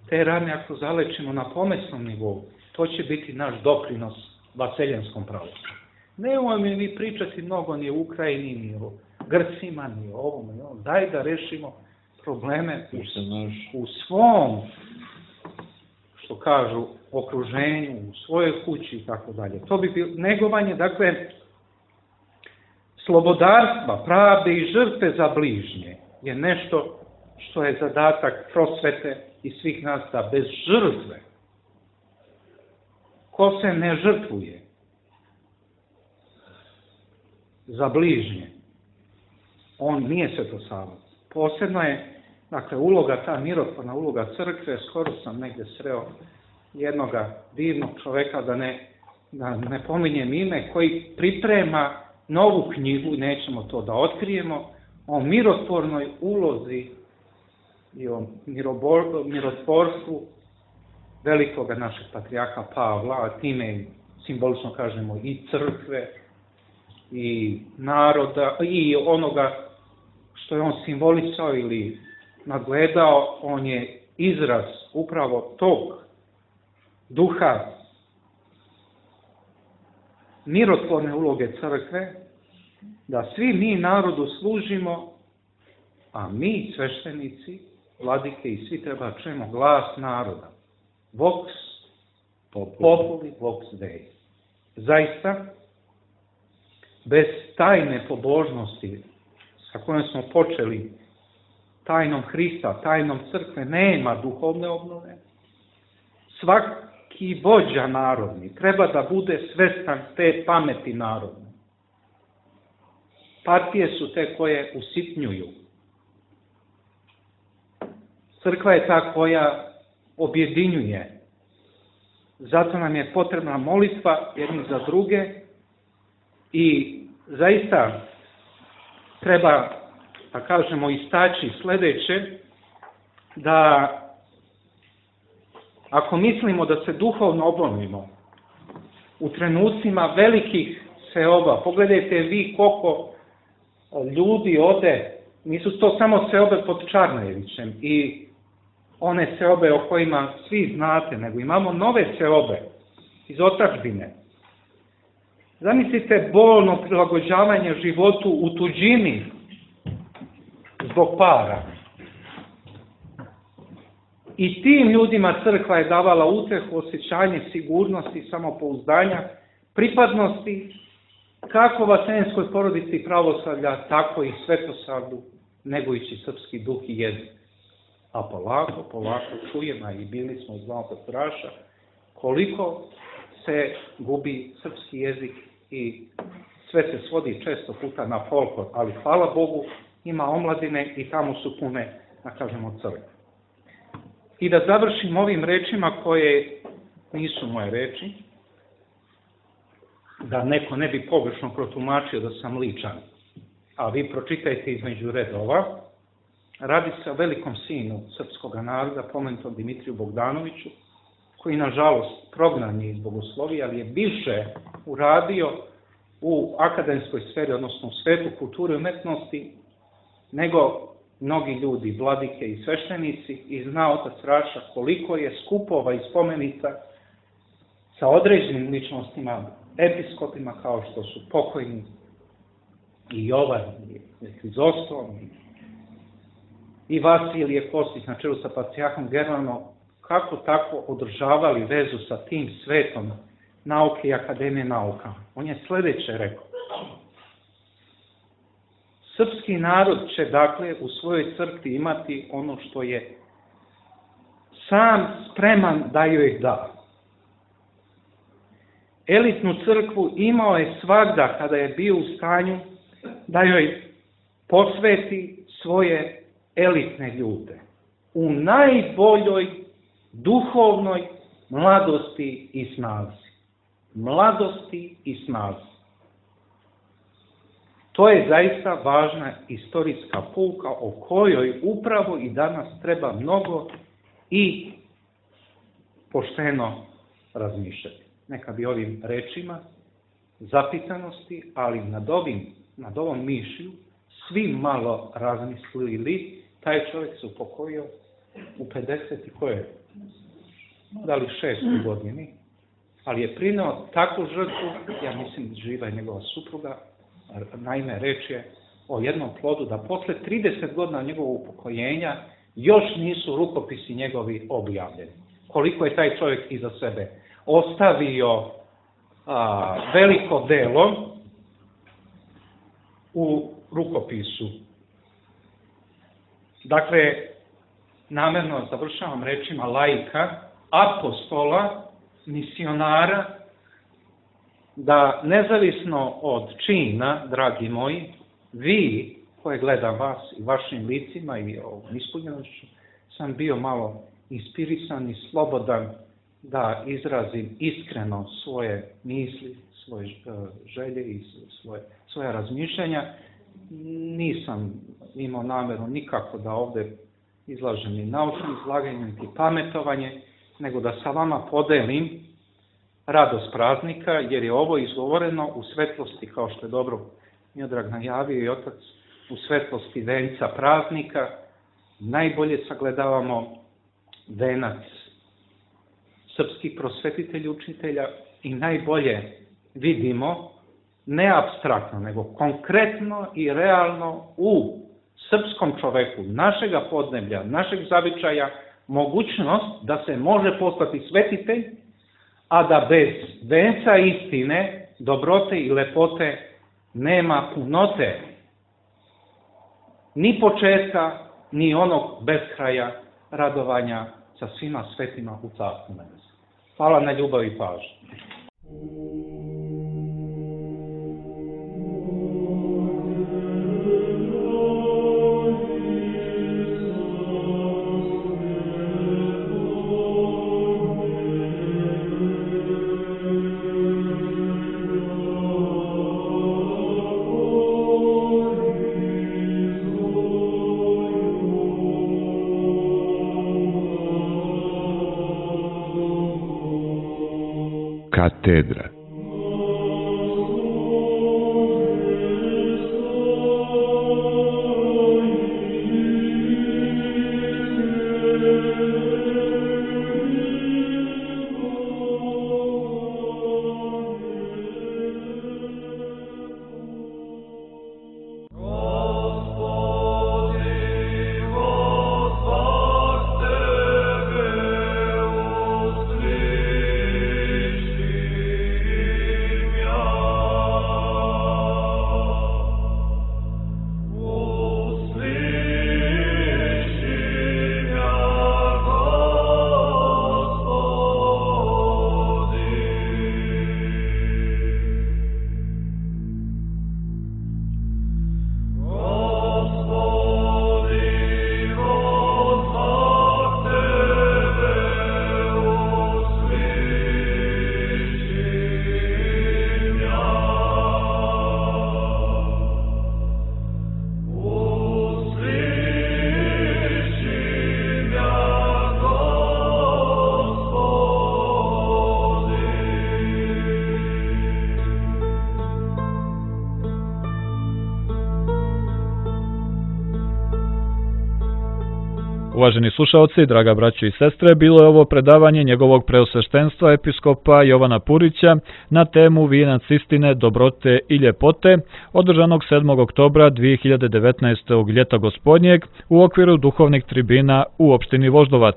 Te rane, ako zalečimo na pomesnom nivou, to će biti naš doprinos vaseljenskom pravosuđu. Nemoj mi vi pričati mnogo ni o Ukrajini, ni o Grcima, ni o ovom, ni o ovom. Daj da rešimo probleme u, u svom, što kažu, okruženju, u svojoj kući i tako dalje. To bi bilo negovanje, dakle, slobodarstva, pravde i žrtve za bližnje je nešto što je zadatak prosvete i svih nas, da bez žrtve, ko se ne žrtvuje za bližnje, on nije svetosavac. Posebno je, dakle, uloga, ta mirotvorna uloga crkve, skoro sam negdje sreo jednoga divnog čoveka, da ne, da ne pominjem ime, koji priprema novu knjigu, nećemo to da otkrijemo, o mirotvornoj ulozi i o mirotvorstvu velikoga našeg patrijarha Pavla, a time simbolično kažemo i crkve, i naroda, i onoga što je on simbolisao ili nadgledao, on je izraz upravo tog duha mirotvorne uloge crkve, da svi mi narodu služimo, a mi, sveštenici, vladike i svi treba čujemo glas naroda. Vox populi, vox Dei. Zaista, bez tajne pobožnosti sa kojom smo počeli, tajnom Hrista, tajnom crkve, nema duhovne obnove. Svaki vođa narodni treba da bude svestan te pameti narodne. Partije su te koje usitnjuju. Crkva je ta koja objedinjuje. Zato nam je potrebna molitva jedni za druge i zaista treba, da kažemo, istaći sledeće, da ako mislimo da se duhovno obnovimo u trenucima velikih seoba, pogledajte vi koliko ljudi ode, nisu to samo seobe pod Čarnojevićem i one seobe o kojima svi znate, nego imamo nove seobe iz otadžbine. Zamislite bolno prilagođavanje životu u tuđini zbog para. I tim ljudima crkva je davala utehu, osjećanje sigurnosti, samopouzdanja, pripadnosti, kako vaseljenskoj porodici pravoslavlja, tako i svetosavlju, negujući srpski duh i jezik. A polako, polako čujemo, a i bili smo iz Zlatog Straša, koliko se gubi srpski jezik i sve se svodi često puta na folklor, ali hvala Bogu ima omladine i tamo su pune, da kažemo, crkve. I da završim ovim rečima koje nisu moje reči, da neko ne bi pogrešno protumačio da sam ličan, a vi pročitajte između redova. Radi se o velikom sinu srpskog naroda, pomenutom Dimitriju Bogdanoviću, koji nažalost prognan je iz bogoslovija, ali je više uradio u akademskoj sferi, odnosno u svetu kulture i umetnosti, nego mnogi ljudi, vladike i sveštenici, i zna otac Raša koliko je skupova i spomenica sa određenim ličnostima, episkopima kao što su pokojni i Jovan, i Hrizostom, i Vasilije Kostić na čelu sa patrijarhom Germanom, kako tako održavali vezu sa tim svetom nauke i akademije nauka. On je sledeće rekao. Srpski narod će, dakle, u svojoj crkvi imati ono što je sam spreman da joj da. Elitnu crkvu imao je svagda kada je bio u stanju da joj posveti svoje elitne ljude u najboljoj duhovnoj mladosti i snazi. Mladosti i snazi. To je zaista važna istorijska pouka o kojoj upravo i danas treba mnogo i pošteno razmišljati. Neka bi ovim rečima zapitanosti, ali nad, ovim, nad ovom mišlju svi malo razmislili. Taj čovjek se upokojio u pedeset i koje? Da li šestoj godini, ali je prineo takvu žrtvu, ja mislim živa je njegova supruga, naime reč je o jednom plodu da posle trideset godina njegovog upokojenja još nisu rukopisi njegovi objavljeni. Koliko je taj čovjek iza sebe ostavio a, veliko delo u rukopisu. Dakle, namerno završavam rečima laika, apostola, misionara, da nezavisno od čina, dragi moji, vi, koje gledam vas i vašim licima i ovom ispunjenošću, sam bio malo inspirisan i slobodan da izrazim iskreno svoje misli, svoje želje i svoje, svoje razmišljanja. Nisam imao nameru nikako da ovde izlažem ni naučno izlaganje, niti pametovanje, nego da sa vama podelim radost praznika, jer je ovo izgovoreno u svetlosti, kao što je dobro Miodrag najavio i otac, u svetlosti venca praznika. Najbolje sagledavamo venac srpskih prosvetitelja, učitelja i najbolje vidimo, ne apstraktno, nego konkretno i realno u srpskom čoveku, našega podneblja, našeg zavičaja, mogućnost da se može postati svetitelj, a da bez venca istine, dobrote i lepote nema punote, ni početka, ni onog beskraja radovanja sa svima svetima u carstvu nebesa. Hvala na ljubavi i pažnji. Katedra. Uvaženi slušaoci, draga braćo i sestre, bilo je ovo predavanje njegovog preosveštenstva episkopa Jovana Purića na temu Vijenac istine, dobrote i ljepote, održanog sedmog oktobra dvije hiljade devetnaestog ljeta gospodnjeg u okviru duhovnih tribina u opštini Voždovac.